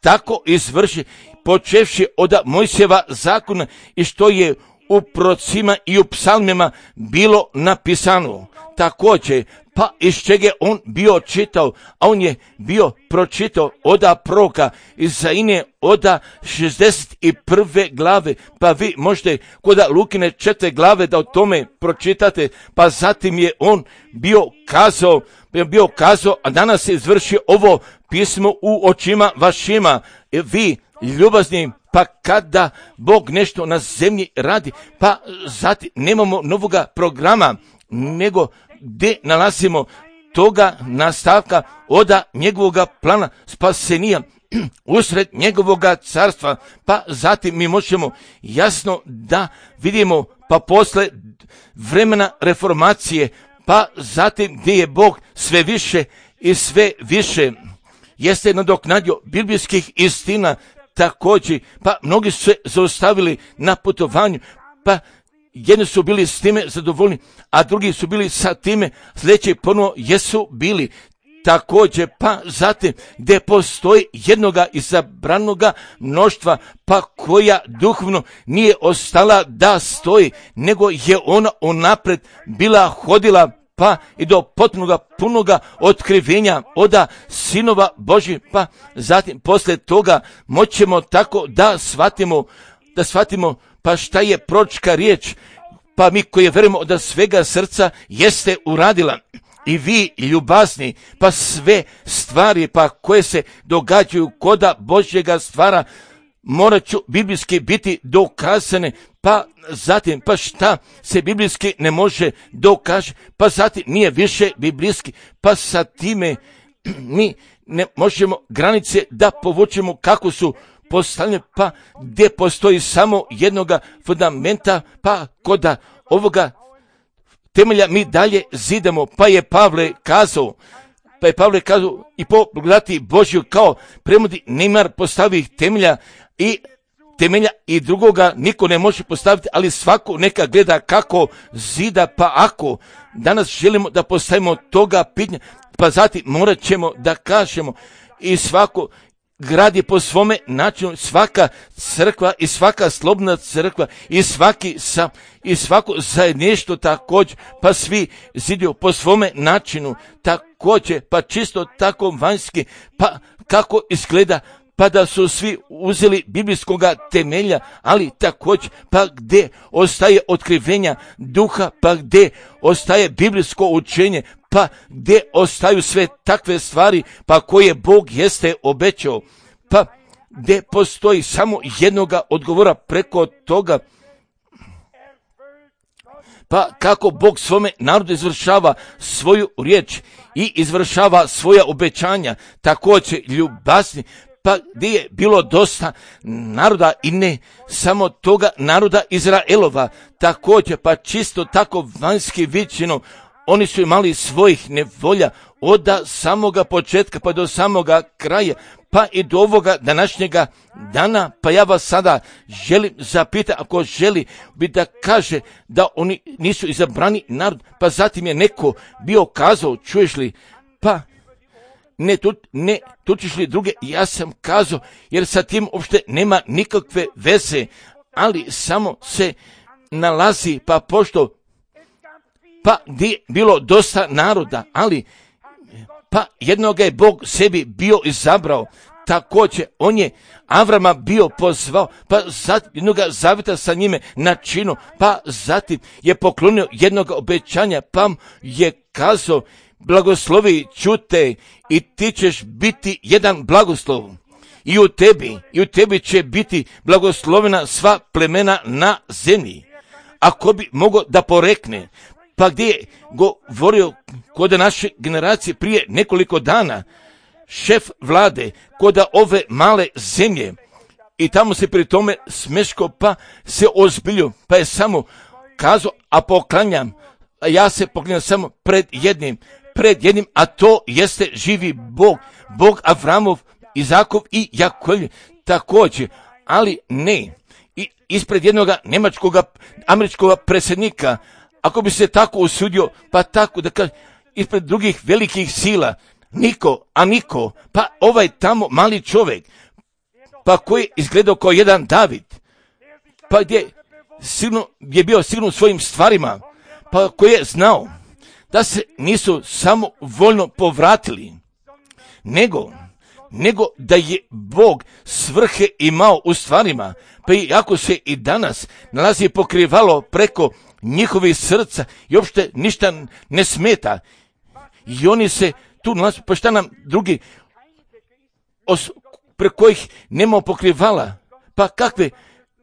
tako izvrši, počevši od Mojsijeva zakona i što je u prorocima i u psalmima bilo napisano. Također, pa iz čega on bio čitao, a on je bio pročitao oda proroka Izaije oda šezdeset prve glave, pa vi možete kod Lukine četvrte glave da o tome pročitate, pa zatim je on bio kazao, bio kazao, a danas se izvrši ovo pismo u očima vašima. Vi, ljubazni, pa kada Bog nešto na zemlji radi, pa zatim nemamo novoga programa, nego gdje nalazimo toga nastavka oda njegovoga plana spasenija usred njegovoga carstva, pa zatim mi možemo jasno da vidimo, pa posle vremena reformacije, pa zatim gdje je Bog sve više i sve više jeste nadoknadio biblijskih istina također, pa mnogi su se zaustavili na putovanju, pa jedni su bili s time zadovoljni, a drugi su bili sa time sljedeći ponovo jesu bili također, pa zatim gdje postoji jednoga izabranoga mnoštva, pa koja duhovno nije ostala da stoji, nego je ona unapred bila hodila, pa i do potpunoga punoga otkrivenja oda sinova Božji, pa zatim poslije toga moćemo tako da shvatimo, da shvatimo pa šta je proročka riječ, pa mi koji vjerujemo da svega srca jeste uradila. I vi ljubazni, pa sve stvari pa koje se događaju koda Božjega stvara morat ću biblijski biti dokazane, pa zatim pa šta se biblijski ne može dokaže, pa zatim nije više biblijski, pa sa time mi ne možemo granice da povučemo kako su postavljene, pa gdje postoji samo jednoga fundamenta, pa koda ovoga temelja mi dalje zidamo, pa je Pavle kazao, pa je Pavle kazao i po blagodati Božju kao premudi Neymar postavi temelja i temelja i drugoga niko ne može postaviti, ali svako neka gleda kako zida, pa ako danas želimo da postavimo toga pitanja, pa zatim morat ćemo da kažemo i svako gradi po svome načinu, svaka crkva i svaka slobodna crkva i svaki sam i svako zajedništvo također, pa svi zidio po svome načinu također, pa čisto tako vanjski, pa kako izgleda, pa da su svi uzeli biblijskoga temelja, ali također pa gdje ostaje otkrivenja duha, pa gdje ostaje biblijsko učenje, pa gdje ostaju sve takve stvari pa koje Bog jeste obećao, pa gdje postoji samo jednoga odgovora preko toga, pa kako Bog svome narodu izvršava svoju riječ i izvršava svoja obećanja, također ljubazni, pa gdje je bilo dosta naroda i ne samo toga naroda Izraelova, također pa čisto tako vanjski viđeno, oni su imali svojih nevolja od samoga početka pa do samoga kraja, pa i do ovoga današnjega dana, pa ja vas sada želim zapitati, ako želi bi da kaže da oni nisu izabrani narod, pa zatim je neko bio kazao, čuješ li, pa ne, tu, ne tučiš li druge, ja sam kazao, jer sa tim uopšte nema nikakve veze, ali samo se nalazi, pa pošto pa gdje je bilo dosta naroda, ali pa jednoga je Bog sebi bio izabrao, također on je Avrama bio pozvao, pa zatim jednoga zavjeta sa njime načinu, pa zatim je poklonio jednog obećanja, pa je kazao, blagoslovi čute i ti ćeš biti jedan blagoslov. I u tebi, i u tebi će biti blagoslovena sva plemena na zemlji. Ako bi mogao da porekne, pa gdje je govorio kod naše generacije prije nekoliko dana, šef vlade kod ove male zemlje, i tamo se pri tome smeško, pa se ozbiljio, pa je samo kazao, a poklanjam, a ja se poklanjam samo pred jednim, pred jednim, a to jeste živi Bog, Bog Avramov, Izakov i Jakov, također, ali ne, i ispred jednog njemačkog, američkog predsjednika, ako bi se tako usudio, pa tako da kaže, ispred drugih velikih sila, niko, a niko, pa ovaj tamo mali čovjek, pa koji je izgledao kao jedan David, pa gdje sigurno, je bio sigurno u svojim stvarima, pa koji je znao da se nisu samo voljno povratili, nego, nego da je Bog svrhe imao u stvarima, pa i ako se i danas nalazi pokrivalo preko njihovih srca i uopšte ništa ne smeta, i oni se tu nalazi, pa šta nam drugi os, preko kojih nema pokrivala, pa kakve,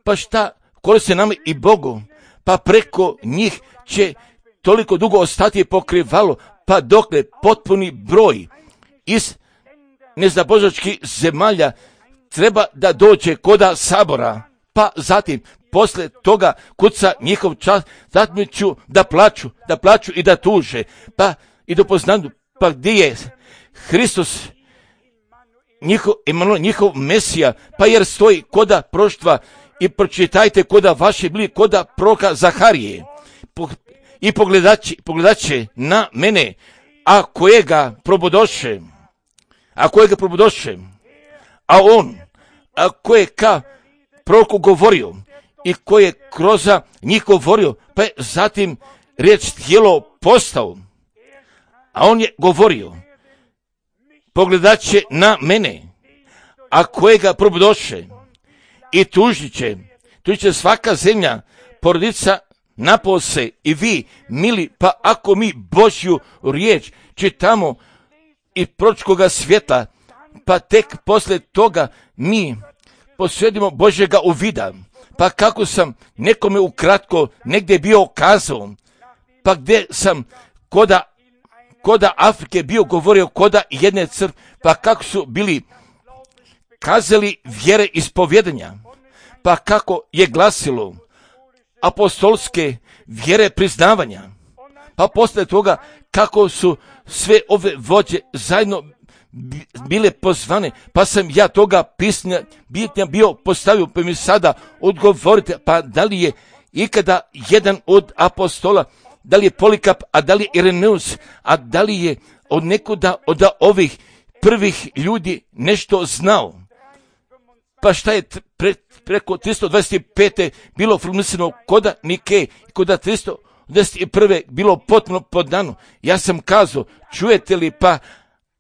pa šta koriste nam i Bogu, pa preko njih će toliko dugo ostati pokrivalo, pa dokle potpuni broj iz nezabožačkih zemalja treba da dođe koda sabora, pa zatim posle toga kuca njihov čas, zatim ću da plaću, da plaću i da tuže, pa i do poznanju, pa gdje je Hristos, njihov, Emanuel, njihov Mesija, pa jer stoji koda proštva i pročitajte koda vaše bili koda proka Zaharije i pogledaće, pogledaće na mene, a kojega probodoše, a kojega probodoše, a on, a koje ka proroku govorio i koje kroz njih govorio, pa je zatim riječ tijelo postao, a on je govorio, pogledaće na mene, a kojega probodoše i tužit će, tužit će svaka zemlja, porodica napose i vi, mili, pa ako mi Božju riječ čitamo i proročkoga svijeta, pa tek posle toga mi posvjedimo Božjega uvida, pa kako sam nekome ukratko negdje bio kazao, pa gdje sam koda, koda Afrike bio govorio koda jedne crkve, pa kako su bili kazali vjere ispovjedanja, pa kako je glasilo apostolske vjere priznavanja, pa posle toga kako su sve ove vođe zajedno bile pozvane, pa sam ja toga pisanja bitnja bio postavio, pa mi sada odgovorite, pa da li je ikada jedan od apostola, da li je Polikap, a da li je Ireneus, a da li je od nekuda od ovih prvih ljudi nešto znao? Pa šta je pre, preko tristo dvadeset pet. bilo formulisano koda Nike, koda tristo dvadeset prve. bilo potpuno podano. Ja sam kazao, čujete li, pa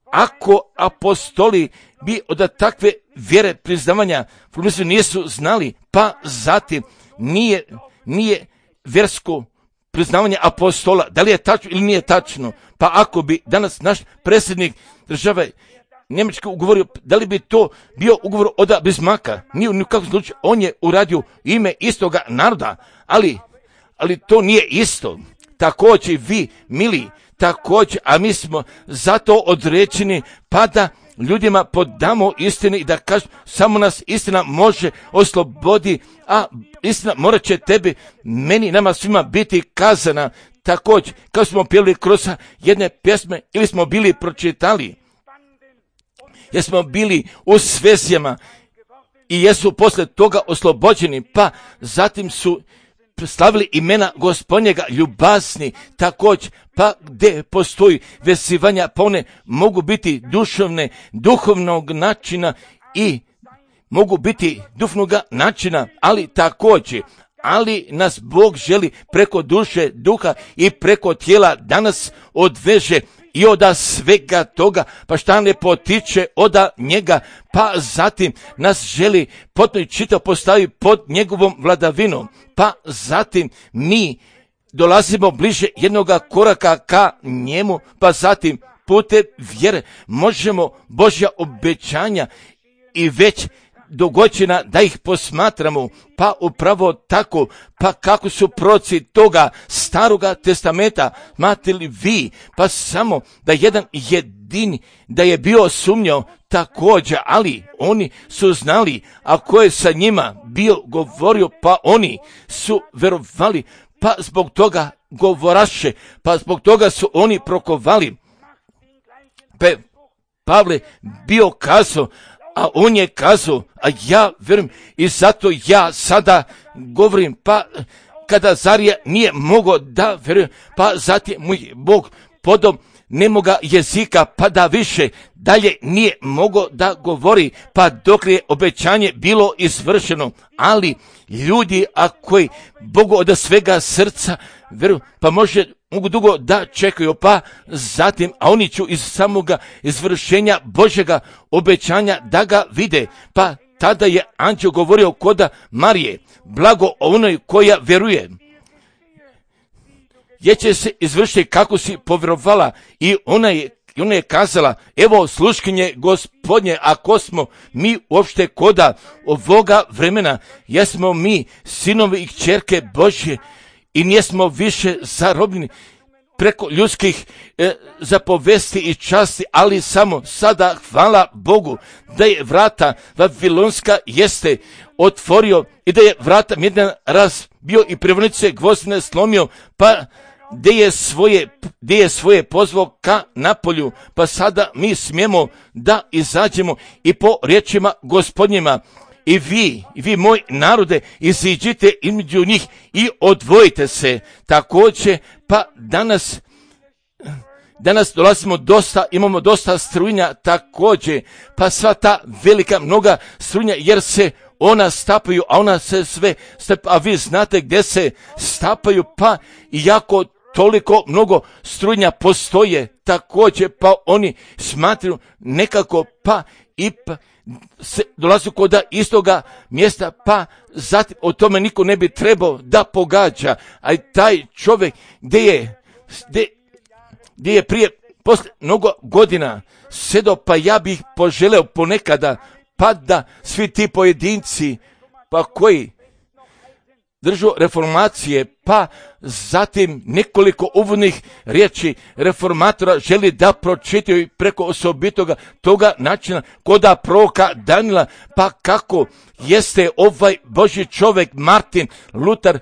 ako apostoli bi od takve vjere priznavanja formulisano nisu znali, pa zatim nije, nije vjersko priznavanje apostola, da li je tačno ili nije tačno, pa ako bi danas naš predsjednik države Njemački ugovorio, da li bi to bio ugovor od Bismarcka? Nije u nikakvom slučaju, on je uradio ime istoga naroda, ali, ali to nije isto. Također vi, mili, također, a mi smo zato određeni, pa da ljudima podamo istine i da kažu, samo nas istina može oslobodi, a istina morat će tebi, meni, nama svima biti kazana. Također, kao smo pjeli kroz jedne pjesme ili smo bili pročitali, jer smo bili u svezijama i jesu posle toga oslobođeni, pa zatim su slavili imena Gospodnjega, ljubazni, također, pa gdje postoji vezivanja, pa one mogu biti duševne, duhovnog načina i mogu biti duhovnog načina, ali također, ali nas Bog želi preko duše, duha i preko tijela danas odveže i oda svega toga, pa šta ne potiče oda njega, pa zatim nas želi potpuno i čitav postavi pod njegovom vladavinom, pa zatim mi dolazimo bliže jednoga koraka ka njemu, pa zatim putem vjere možemo Božja obećanja i već dogođena da ih posmatramo, pa upravo tako, pa kako su proroci toga staroga testamenta, znate li vi, pa samo da jedan jedini, da je bio sumnjao također, ali oni su znali, a ko je sa njima bio govorio, pa oni su verovali, pa zbog toga govoraše, pa zbog toga su oni prokovali. Pa Pavle bio kazao, a on je kazao, a ja verujem i zato ja sada govorim, pa kada Zarija nije mogao da verujem, pa zatim mu je Bog podao nemoga jezika, pa da više dalje nije mogao da govori, pa dok je obećanje bilo izvršeno. Ali ljudi, a koji Bogu od svega srca veruju, pa može mogu dugo da čekaju, pa zatim, a oni ću iz samoga izvršenja Božjega obećanja da ga vide. Pa tada je anđeo govorio koda Marije, blago onoj koja vjeruje, jer će se izvršiti kako si povjerovala. I ona je, ona je kazala, evo sluškinje Gospodnje, ako smo mi uopšte koda ovoga vremena, jesmo mi sinovi i kćerke Božje i nijesmo više zarobljeni preko ljudskih e, zapovesti i časti, ali samo sada hvala Bogu da je vrata Vavilonska jeste otvorio i da je vrata jedan raz bio i privonice gvozdene slomio, pa gdje je svoje, gdje je svoje pozvao ka napolju, pa sada mi smijemo da izađemo i po riječima Gospodnjima. I vi, i vi moj narode, iziđite između njih i odvojite se. Također, pa danas, danas dolazimo dosta, imamo dosta strujnja također, pa sva ta velika mnoga strujnja, jer se ona stapaju, a ona se sve stapa, a vi znate gdje se stapaju, pa iako toliko mnogo strujnja postoje također, pa oni smatraju nekako, pa i pa se dolazi kod istoga mjesta, pa zatim o tome niko ne bi trebao da pogađa, a taj čovjek gdje je, gdje, gdje je prije, posle mnogo godina sedo, pa ja bih poželeo ponekada, pa da svi ti pojedinci, pa koji držu reformacije, pa zatim nekoliko uvodnih riječi reformatora želi da pročitaju preko osobitoga toga načina koda proroka Danila, pa kako jeste ovaj Božji čovjek Martin Lutar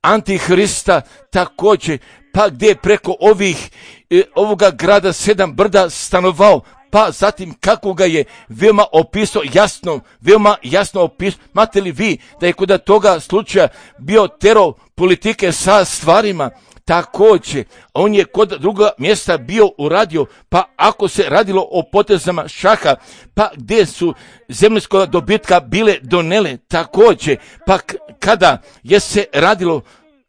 antihrista također, pa gdje je preko ovih e, ovoga grada sedam brda stanovao, pa zatim kako ga je veoma opisao jasno, veoma jasno opisao. Imate li vi da je kod toga slučaja bio tero politike sa stvarima? Također, on je kod druga mjesta bio uradio, pa ako se radilo o potezama šaha, pa gdje su zemljskog dobitka bile donele također, pa k- kada je se radilo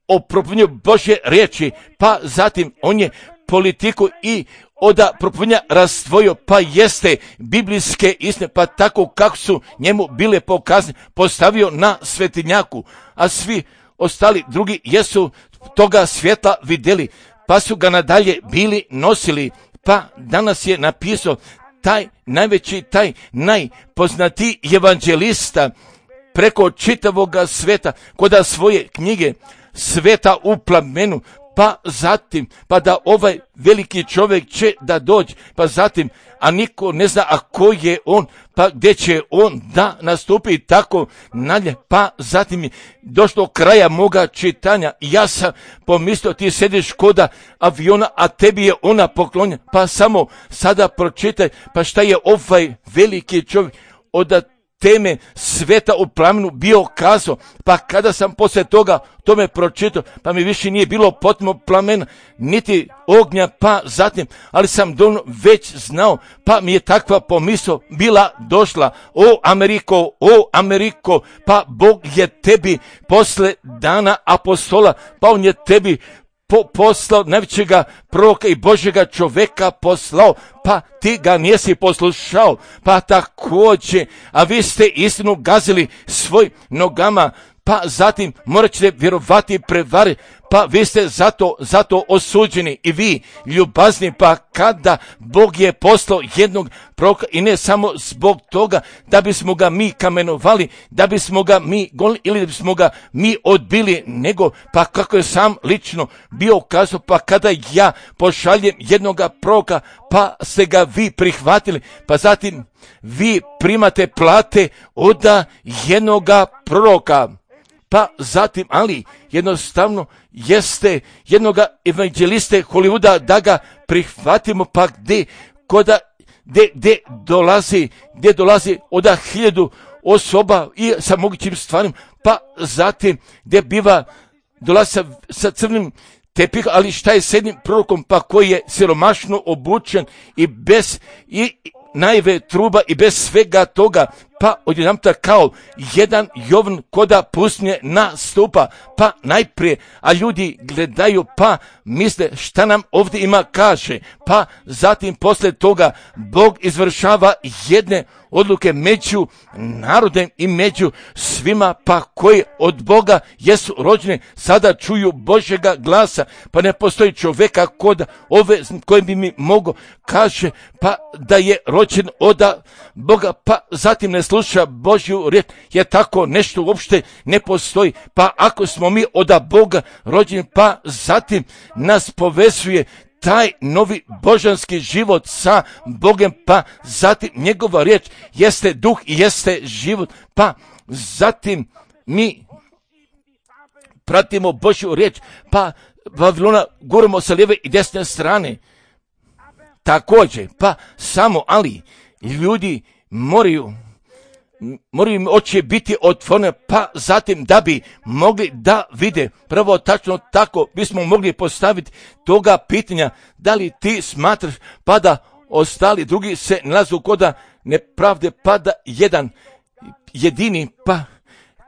o propovjedanju Božje riječi, pa zatim on je politiku i oda propovjedanja razdvojio, pa jeste biblijske istine, pa tako kako su njemu bile pokazane, postavio na svetinjaku, a svi ostali drugi jesu toga svjetla vidjeli, pa su ga nadalje bili nosili, pa danas je napisao taj najveći, taj najpoznatiji evanđelista preko čitavoga sveta, koda svoje knjige Sveta u plamenu, pa zatim, pa da ovaj veliki čovjek će da dođe, pa zatim, a niko ne zna a ko je on, pa gdje će on da nastupi tako nadalje, pa zatim je došlo kraja moga čitanja. Ja sam pomislio ti sediš koda aviona, a tebi je ona poklonja, pa samo sada pročitaj, pa šta je ovaj veliki čovjek od teme sveta u plamenu bio kazao, pa kada sam poslije toga tome pročitao, pa mi više nije bilo potpuno plamena, niti ognja, pa zatim, ali sam dovoljno već znao, pa mi je takva pomisao bila došla, o Ameriko, o Ameriko, pa Bog je tebi posle dana apostola, pa on je tebi Po, poslao najvećega proroka i Božjega čoveka poslao, pa ti ga nisi poslušao, pa također, a vi ste istinu gazili svoj nogama, pa zatim morat ćete vjerovati prevari, pa vi ste zato, zato osuđeni i vi ljubazni, pa kada Bog je poslao jednog proroka i ne samo zbog toga da bismo ga mi kamenovali, da bismo ga mi gonili ili da bismo ga mi odbili, nego pa kako je sam lično bio kazao, pa kada ja pošaljem jednoga proroka, pa ste ga vi prihvatili, pa zatim vi primate plate od jednoga proroka. Pa zatim, ali jednostavno jeste jednoga evanđeliste Hollywooda da ga prihvatimo, pa gdje, koda, gdje, gdje dolazi, gdje dolazi od hiljadu osoba i sa mogućim stvarima, pa zatim gdje biva, dolazi sa, sa crnim tepih, ali šta je s jednim prorokom pa koji je siromašno obučen i bez i najve truba i bez svega toga, pa odjedanputa kao jedan Jovan koda pustinje nastupa, pa najprije, a ljudi gledaju pa misle šta nam ovdje ima kaže, pa zatim poslije toga Bog izvršava jedne odluke među narodem i među svima pa koji od Boga jesu rođeni, sada čuju Božjega glasa, pa ne postoji čovjeka kod ove koji bi mi mogo kaže pa da je rođen od Boga, pa zatim ne sluša Božju riječ, jer tako nešto uopšte ne postoji. Pa ako smo mi od Boga rođeni, pa zatim nas povezuje taj novi božanski život sa Bogom, pa zatim njegova riječ jeste duh i jeste život, pa zatim mi pratimo Božju riječ, pa Vavilona guramo sa lijeve i desne strane. Također, pa samo, ali ljudi moraju moraju im oči biti otvorene, pa zatim da bi mogli da vide. Prvo tačno tako bismo mogli postaviti toga pitanja, da li ti smatraš pa da ostali drugi se nalazu koda nepravde, pa da jedan jedini pa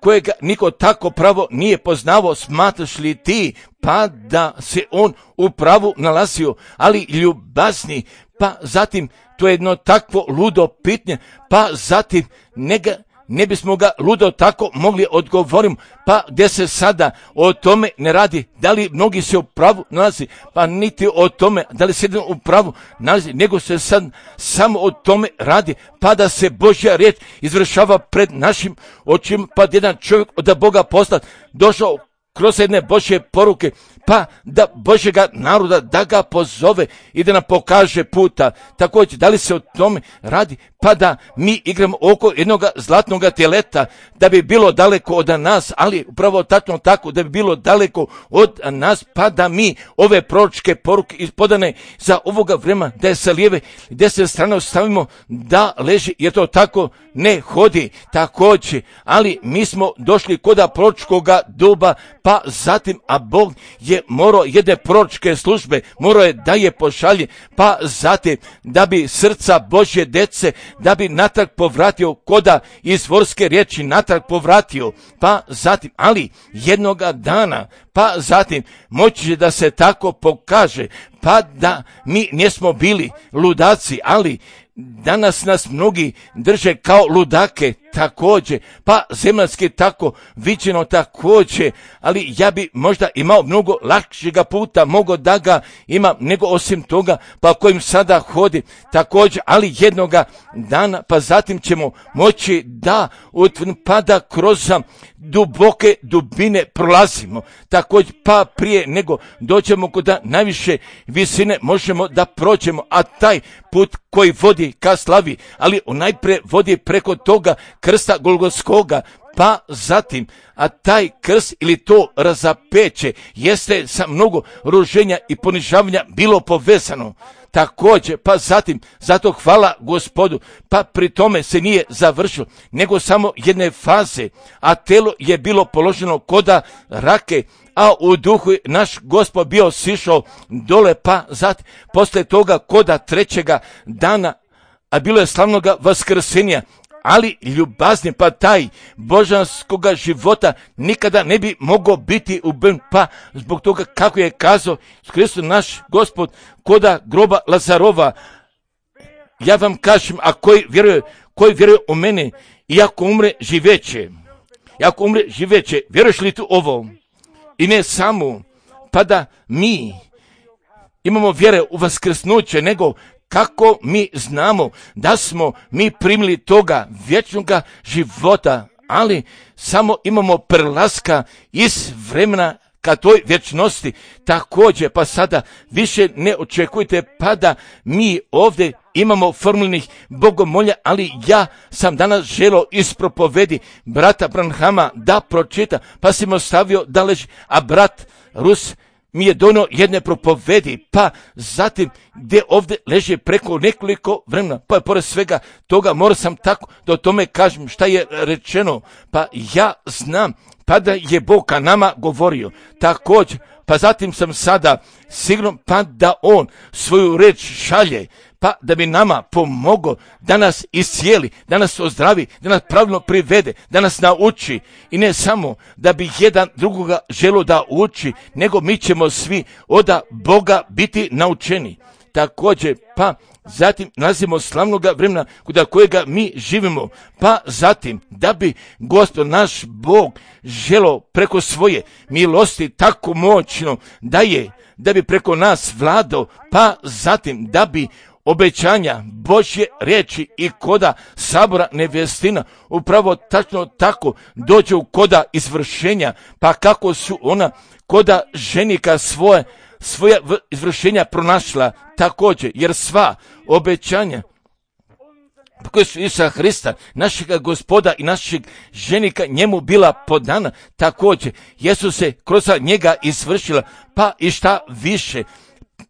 kojega niko tako pravo nije poznavao, smatraš li ti pa da se on u pravu nalazio, ali ljubazni, pa zatim to je jedno takvo ludo pitanje, pa zatim ne, ga, ne bismo ga ludo tako mogli odgovoriti, pa gdje se sada o tome ne radi, da li mnogi se u pravu nalazi, pa niti o tome da li se jedan u pravu nalazi, nego se sad samo o tome radi, pa da se Božja riječ izvršava pred našim očima, pa jedan čovjek od Boga poslat došao kroz jedne Božje poruke, pa da Božjega naroda da ga pozove i da nam pokaže puta. Također, da li se o tome radi, pa da mi igramo oko jednog zlatnog teleta, da bi bilo daleko od nas, ali upravo tačno tako, da bi bilo daleko od nas, pa da mi ove proročke poruke ispodane za ovoga vremena, da je sa lijeve i desne strane ostavimo da leži, jer to tako ne hodi. Također, ali mi smo došli koda proročkoga doba, pa zatim, a Bog je morao jedne proročke službe, morao je da je pošalje, pa zatim da bi srca Božje dece, da bi natrag povratio koda izvorske riječi natrag povratio, pa zatim, ali jednoga dana, pa zatim moći će da se tako pokaže, pa da mi nismo bili ludaci, ali danas nas mnogi drže kao ludake također, pa zemaljski tako viđeno također, ali ja bi možda imao mnogo lakšega puta, mogo da ga imam nego osim toga, pa kojim sada hodi također, ali jednoga dana, pa zatim ćemo moći da utvrdimo, pa da kroz duboke dubine prolazimo, također, pa prije nego dođemo kod najviše visine možemo da prođemo, a taj put koji vodi ka slavi, ali on najprije vodi preko toga krsta Golgotskoga, pa zatim, a taj krst ili to razapeće jeste sa mnogo ruženja i ponižavanja bilo povezano. Također, pa zatim, zato hvala Gospodu, pa pri tome se nije završilo, nego samo jedne faze, a telo je bilo položeno koda rake, a u duhu naš Gospod bio sišao dole, pa zatim, posle toga koda trećega dana, a bilo je slavnoga vaskrsenja, ali ljubazni, pa taj božanskoga života nikada ne bi mogao biti ubijen, pa zbog toga kako je kazao Hristos naš Gospod koda groba Lazarova, ja vam kažem, a koji vjeruje, koji vjeruje u mene, i ako umre živeće, i ako umre živeće, vjeruješ li tu ovo? I ne samo, pa da mi imamo vjere u vaskrsnuće, nego kako mi znamo da smo mi primili toga vječnog života, ali samo imamo prelaska iz vremena ka toj vječnosti. Također, pa sada više ne očekujte pa da mi ovdje imamo formulnih bogomolja, ali ja sam danas želio ispropovedi brata Branhama da pročita, pa sam ostavio da leži, a brat Rus mi je dono jedne propovedi, pa zatim gdje ovdje leže preko nekoliko vremena, pa pored svega toga morao sam tako da o tome kažem šta je rečeno, pa ja znam, pa da je Bog ka nama govorio, također, pa zatim sam sada sigurno pa da On svoju reč šalje, pa da bi nama pomogao da nas iscijeli, da nas ozdravi, da nas pravilno privede, da nas nauči i ne samo da bi jedan drugoga želio da uči, nego mi ćemo svi od Boga biti naučeni. Također, pa zatim nalazimo slavnoga vremena kod kojega mi živimo, pa zatim da bi Gospod naš Bog želio preko svoje milosti tako moćno da je, da bi preko nas vladao, pa zatim da bi obećanja Božje riječi i koda sabora nevjestina upravo tačno tako dođe u koda izvršenja, pa kako su ona koda ženika svoje svoja izvršenja pronašla također, jer sva obećanja koje su Isusa Hrista, našega Gospoda i našeg ženika njemu bila podana, također jesu se kroz njega izvršila, pa i šta više,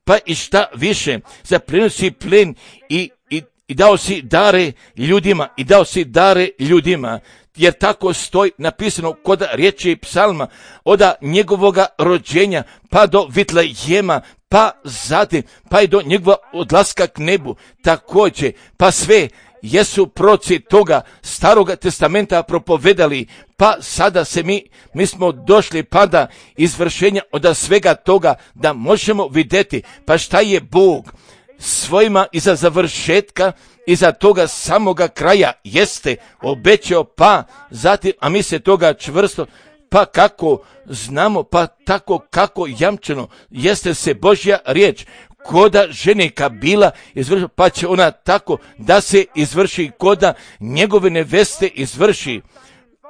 pa i šta više, zaplijenio si plen i, i, i dao si dare ljudima, i dao si dare ljudima, jer tako stoji napisano kod riječi psalma, od njegovoga rođenja pa do Vitlejema, pa zatim, pa i do njegova odlaska k nebu, također, pa sve jesu proci toga staroga testamenta propovedali, pa sada se mi, mi smo došli pa da izvršenja od svega toga da možemo vidjeti, pa šta je Bog svojima iza završetka, iza toga samoga kraja jeste obećao, pa zatim, a mi se toga čvrsto, pa kako znamo, pa tako kako jamčeno jeste se Božja riječ koda ženika bila izvrši, pa će ona tako da se izvrši koda njegove neveste izvrši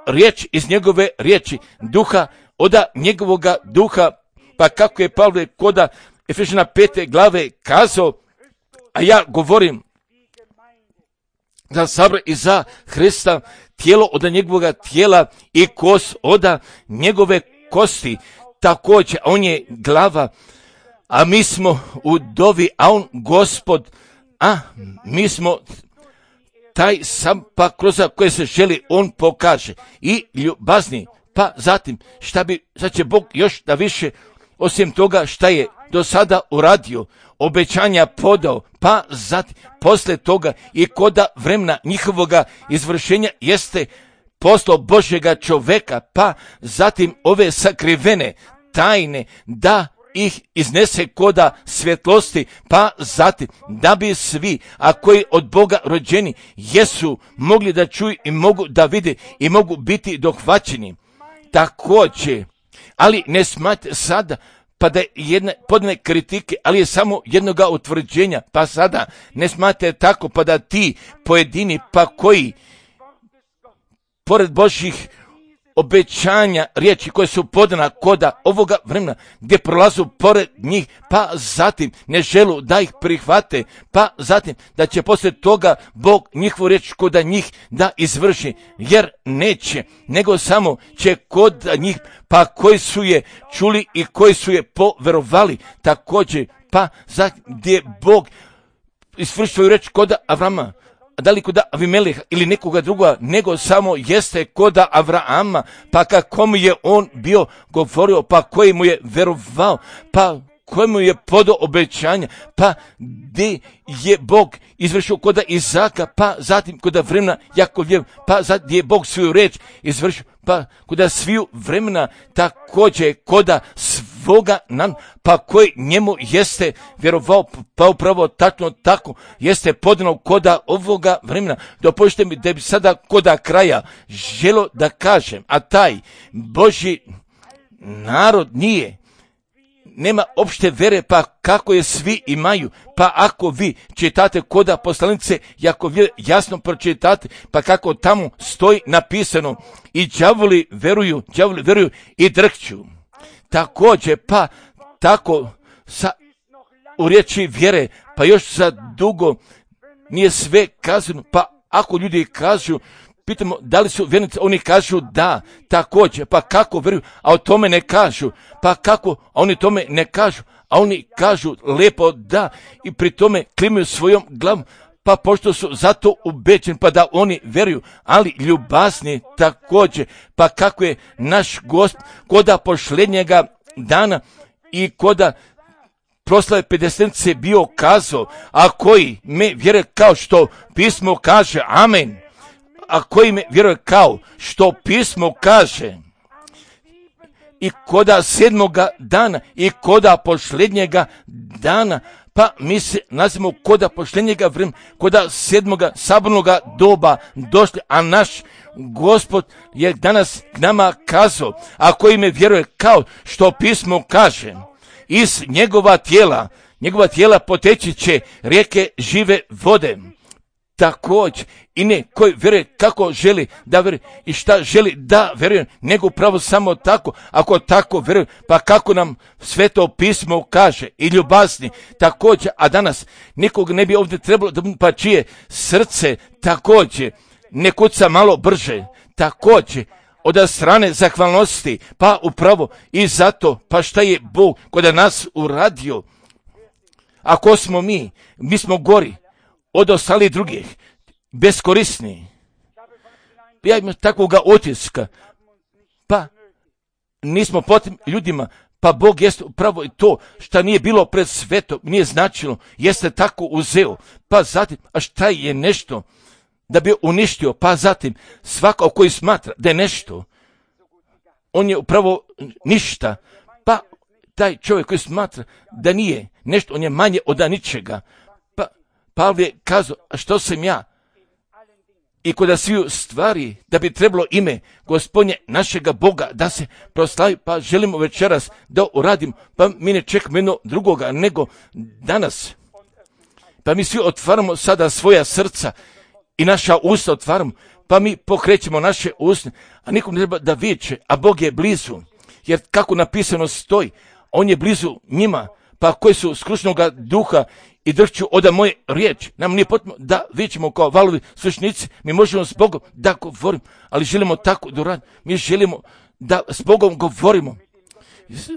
riječ iz njegove riječi, duha oda njegovoga duha, pa kako je Pavle koda Efežana pete glave kazao, a ja govorim za sabor i za Hrista, tijelo od njegovoga tijela i kost od njegove kosti, također on je glava, a mi smo u dovi, a on Gospod, a mi smo taj sam pa kroz koje se želi on pokaže i ljubazni, pa zatim šta bi, sad će Bog još da više osim toga šta je do sada uradio, obećanja podao, pa zatim posle toga i koda vremena njihovoga izvršenja jeste poslao Božjega čoveka, pa zatim ove sakrivene tajne da ih iznese koda svjetlosti, pa zatim da bi svi, a koji od Boga rođeni jesu mogli da čuju i mogu da vide i mogu biti dohvaćeni. Također, ali ne smate sada pa da je jedne podne kritike, ali je samo jednoga utvrđenja, pa sada ne smate tako, pa da ti pojedini, pa koji pored Božjih obećanja riječi koje su podana koda ovoga vremena gdje prolazu pored njih, pa zatim ne želu da ih prihvate, pa zatim da će poslije toga Bog njihovu riječ koda njih da izvrši, jer neće, nego samo će kod njih, pa koji su je čuli i koji su je poverovali, također, pa zatim gdje Bog izvrši svoju riječ koda Avrama, da li kod Avimeleha ili nekoga drugoga, nego samo jeste kod Avrama, pa kako mu je on bio govorio, pa koji mu je verovao, pa koji mu je podao obećanja, pa gdje je Bog izvršio kod Izaka, pa zatim kod vremena Jakovljev, pa zatim je Bog svoju reč izvršio, pa kod sviju vremena također kod svoga nam, pa koji njemu jeste vjerovao, pa upravo tačno tako jeste podano koda ovoga vremena. Dopustite mi da bi sada koda kraja želo da kažem, a taj Božji narod nije, nema opšte vere, pa kako je svi imaju, pa ako vi čitate koda poslanice, jako jasno pročitate, pa kako tamo stoji napisano, i đavoli veruju, đavoli veruju i drhću. Također, pa tako sa, u riječi vjere, pa još za dugo nije sve kazano, pa ako ljudi kažu, pitamo da li su vjernici, oni kažu da, također, pa kako vjeruju, a o tome ne kažu, pa kako, a oni tome ne kažu, a oni kažu lijepo da i pri tome klimaju svojom glavom, pa pošto su zato ubeđeni, pa da oni vjeruju, ali ljubazni također, pa kako je naš Gospod koda posljednjega dana i koda proslave pedesetnice bio kazao, a koji me vjeruje kao što pismo kaže, amen, a koji me vjeruje kao što pismo kaže, i koda sedmoga dana i koda posljednjega dana, pa mi se nazivamo koda posljednjega vremena, koda sedmoga sabornoga doba došli, a naš Gospod je danas k nama kazao, a koji me vjeruje kao što pismo kaže, iz njegova tijela, njegova tijela poteći će rijeke žive vode. Također, i ne koji vjeruje kako želi da vjeruje i šta želi da vjeruje, nego upravo samo tako, ako tako vjeruje, pa kako nam sveto pismo kaže, i ljubazni također, a danas nikog ne bi ovdje trebalo, da pa čije srce također ne kuca malo brže, također, od strane zahvalnosti, pa upravo i zato, pa šta je Bog kod nas uradio, ako smo mi, mi smo gori od ostalih drugih, beskorisni. Ja imam takvoga otiska, pa nismo potrebni ljudima, pa Bog jeste upravo i to što nije bilo pred svetom, nije značilo, jeste tako uzeo, pa zatim, a šta je nešto da bi uništio, pa zatim svako koji smatra da je nešto, on je upravo ništa, pa taj čovjek koji smatra da nije nešto, on je manje od ničega. Pa Pavle je kazao, a što sam ja? I kod sviju stvari, da bi trebalo ime Gospodnje našega Boga da se proslavi, pa želimo večeras da uradim, pa mi ne čekamo jedno drugoga nego danas. Pa mi svi otvaramo sada svoja srca i naša usta otvaramo, pa mi pokrećemo naše usne, a nikom ne treba da viče, a Bog je blizu. Jer kako napisano stoji, on je blizu njima, pa koji su skrušnoga duha i drhću oda moje riječi. Nam nije potrebno da vičemo kao valovi slušnici, mi možemo s Bogom da govorimo, ali želimo tako da radimo. Mi želimo da s Bogom govorimo.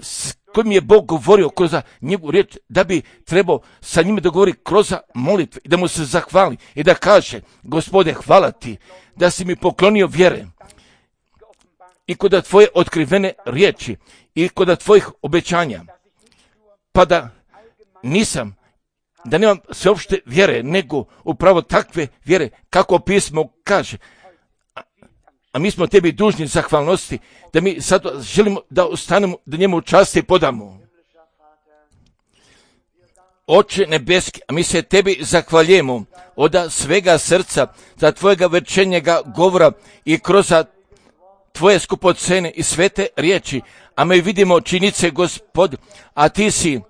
S kojim je Bog govorio kroz njegovu riječ, da bi trebao sa njime da govori kroz molitve i da mu se zahvali i da kaže, Gospode, hvala ti da si mi poklonio vjere i kod tvoje otkrivene riječi i kod tvojih obećanja, pa da nisam, da nemam sveopšte vjere, nego upravo takve vjere, kako pismo kaže. A, a mi smo tebi dužni zahvalnosti, da mi sad želimo da ostanemo, da njemu časti podamo. Oče nebeski, a mi se tebi zahvaljujemo od svega srca za tvojega večernjega govora i kroz tvoje skupocene i svete riječi, a mi vidimo činjenice, Gospod, a ti si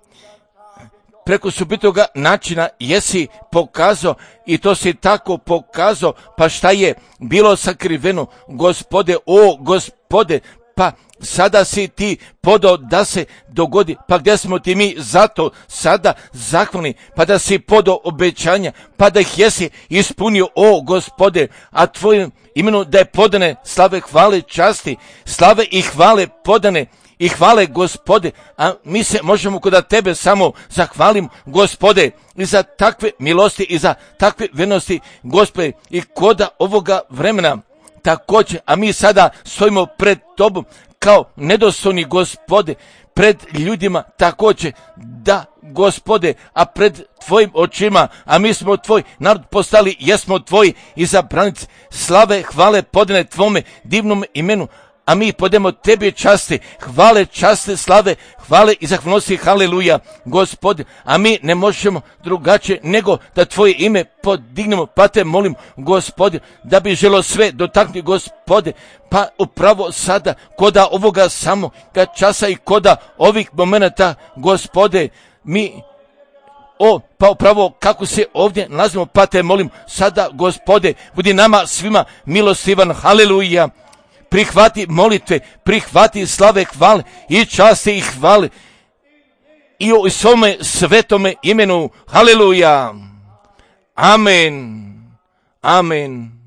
preko subitoga načina jesi pokazao i to si tako pokazao, pa šta je bilo sakriveno, Gospode, o Gospode, pa sada si ti podao da se dogodi, pa gdje smo ti mi zato sada zahvalni, pa da si podao obećanja, pa da ih jesi ispunio, o Gospode, a tvojim imenom da je podane slave, hvale, časti, slave i hvale podane i hvale, Gospode, a mi se možemo kod tebe samo zahvalim, Gospode, i za takve milosti i za takve vernosti, Gospode, i koda ovoga vremena također, a mi sada stojimo pred tobom kao nedostojni, Gospode, pred ljudima također, da, Gospode, a pred tvojim očima, a mi smo tvoj narod postali, jesmo tvoji izabranici, slave, hvale podane tvome divnom imenu, a mi podemo tebi časti, hvale, časte, slave, hvale i zahvalnosti, haleluja, Gospode, a mi ne možemo drugačije nego da tvoje ime podignemo, pa te molim, Gospode, da bi želo sve dotaknuti, Gospode, pa upravo sada, koda ovoga samoga časa i koda ovih momenata, Gospode, mi O, pa upravo kako se ovdje nalazimo, pa te molim sada, Gospode, budi nama svima milostivan, haleluja. Prihvati molitve, prihvati slave, hvale i časti i hvale i u svome svetome imenu, haleluja, amen, amen.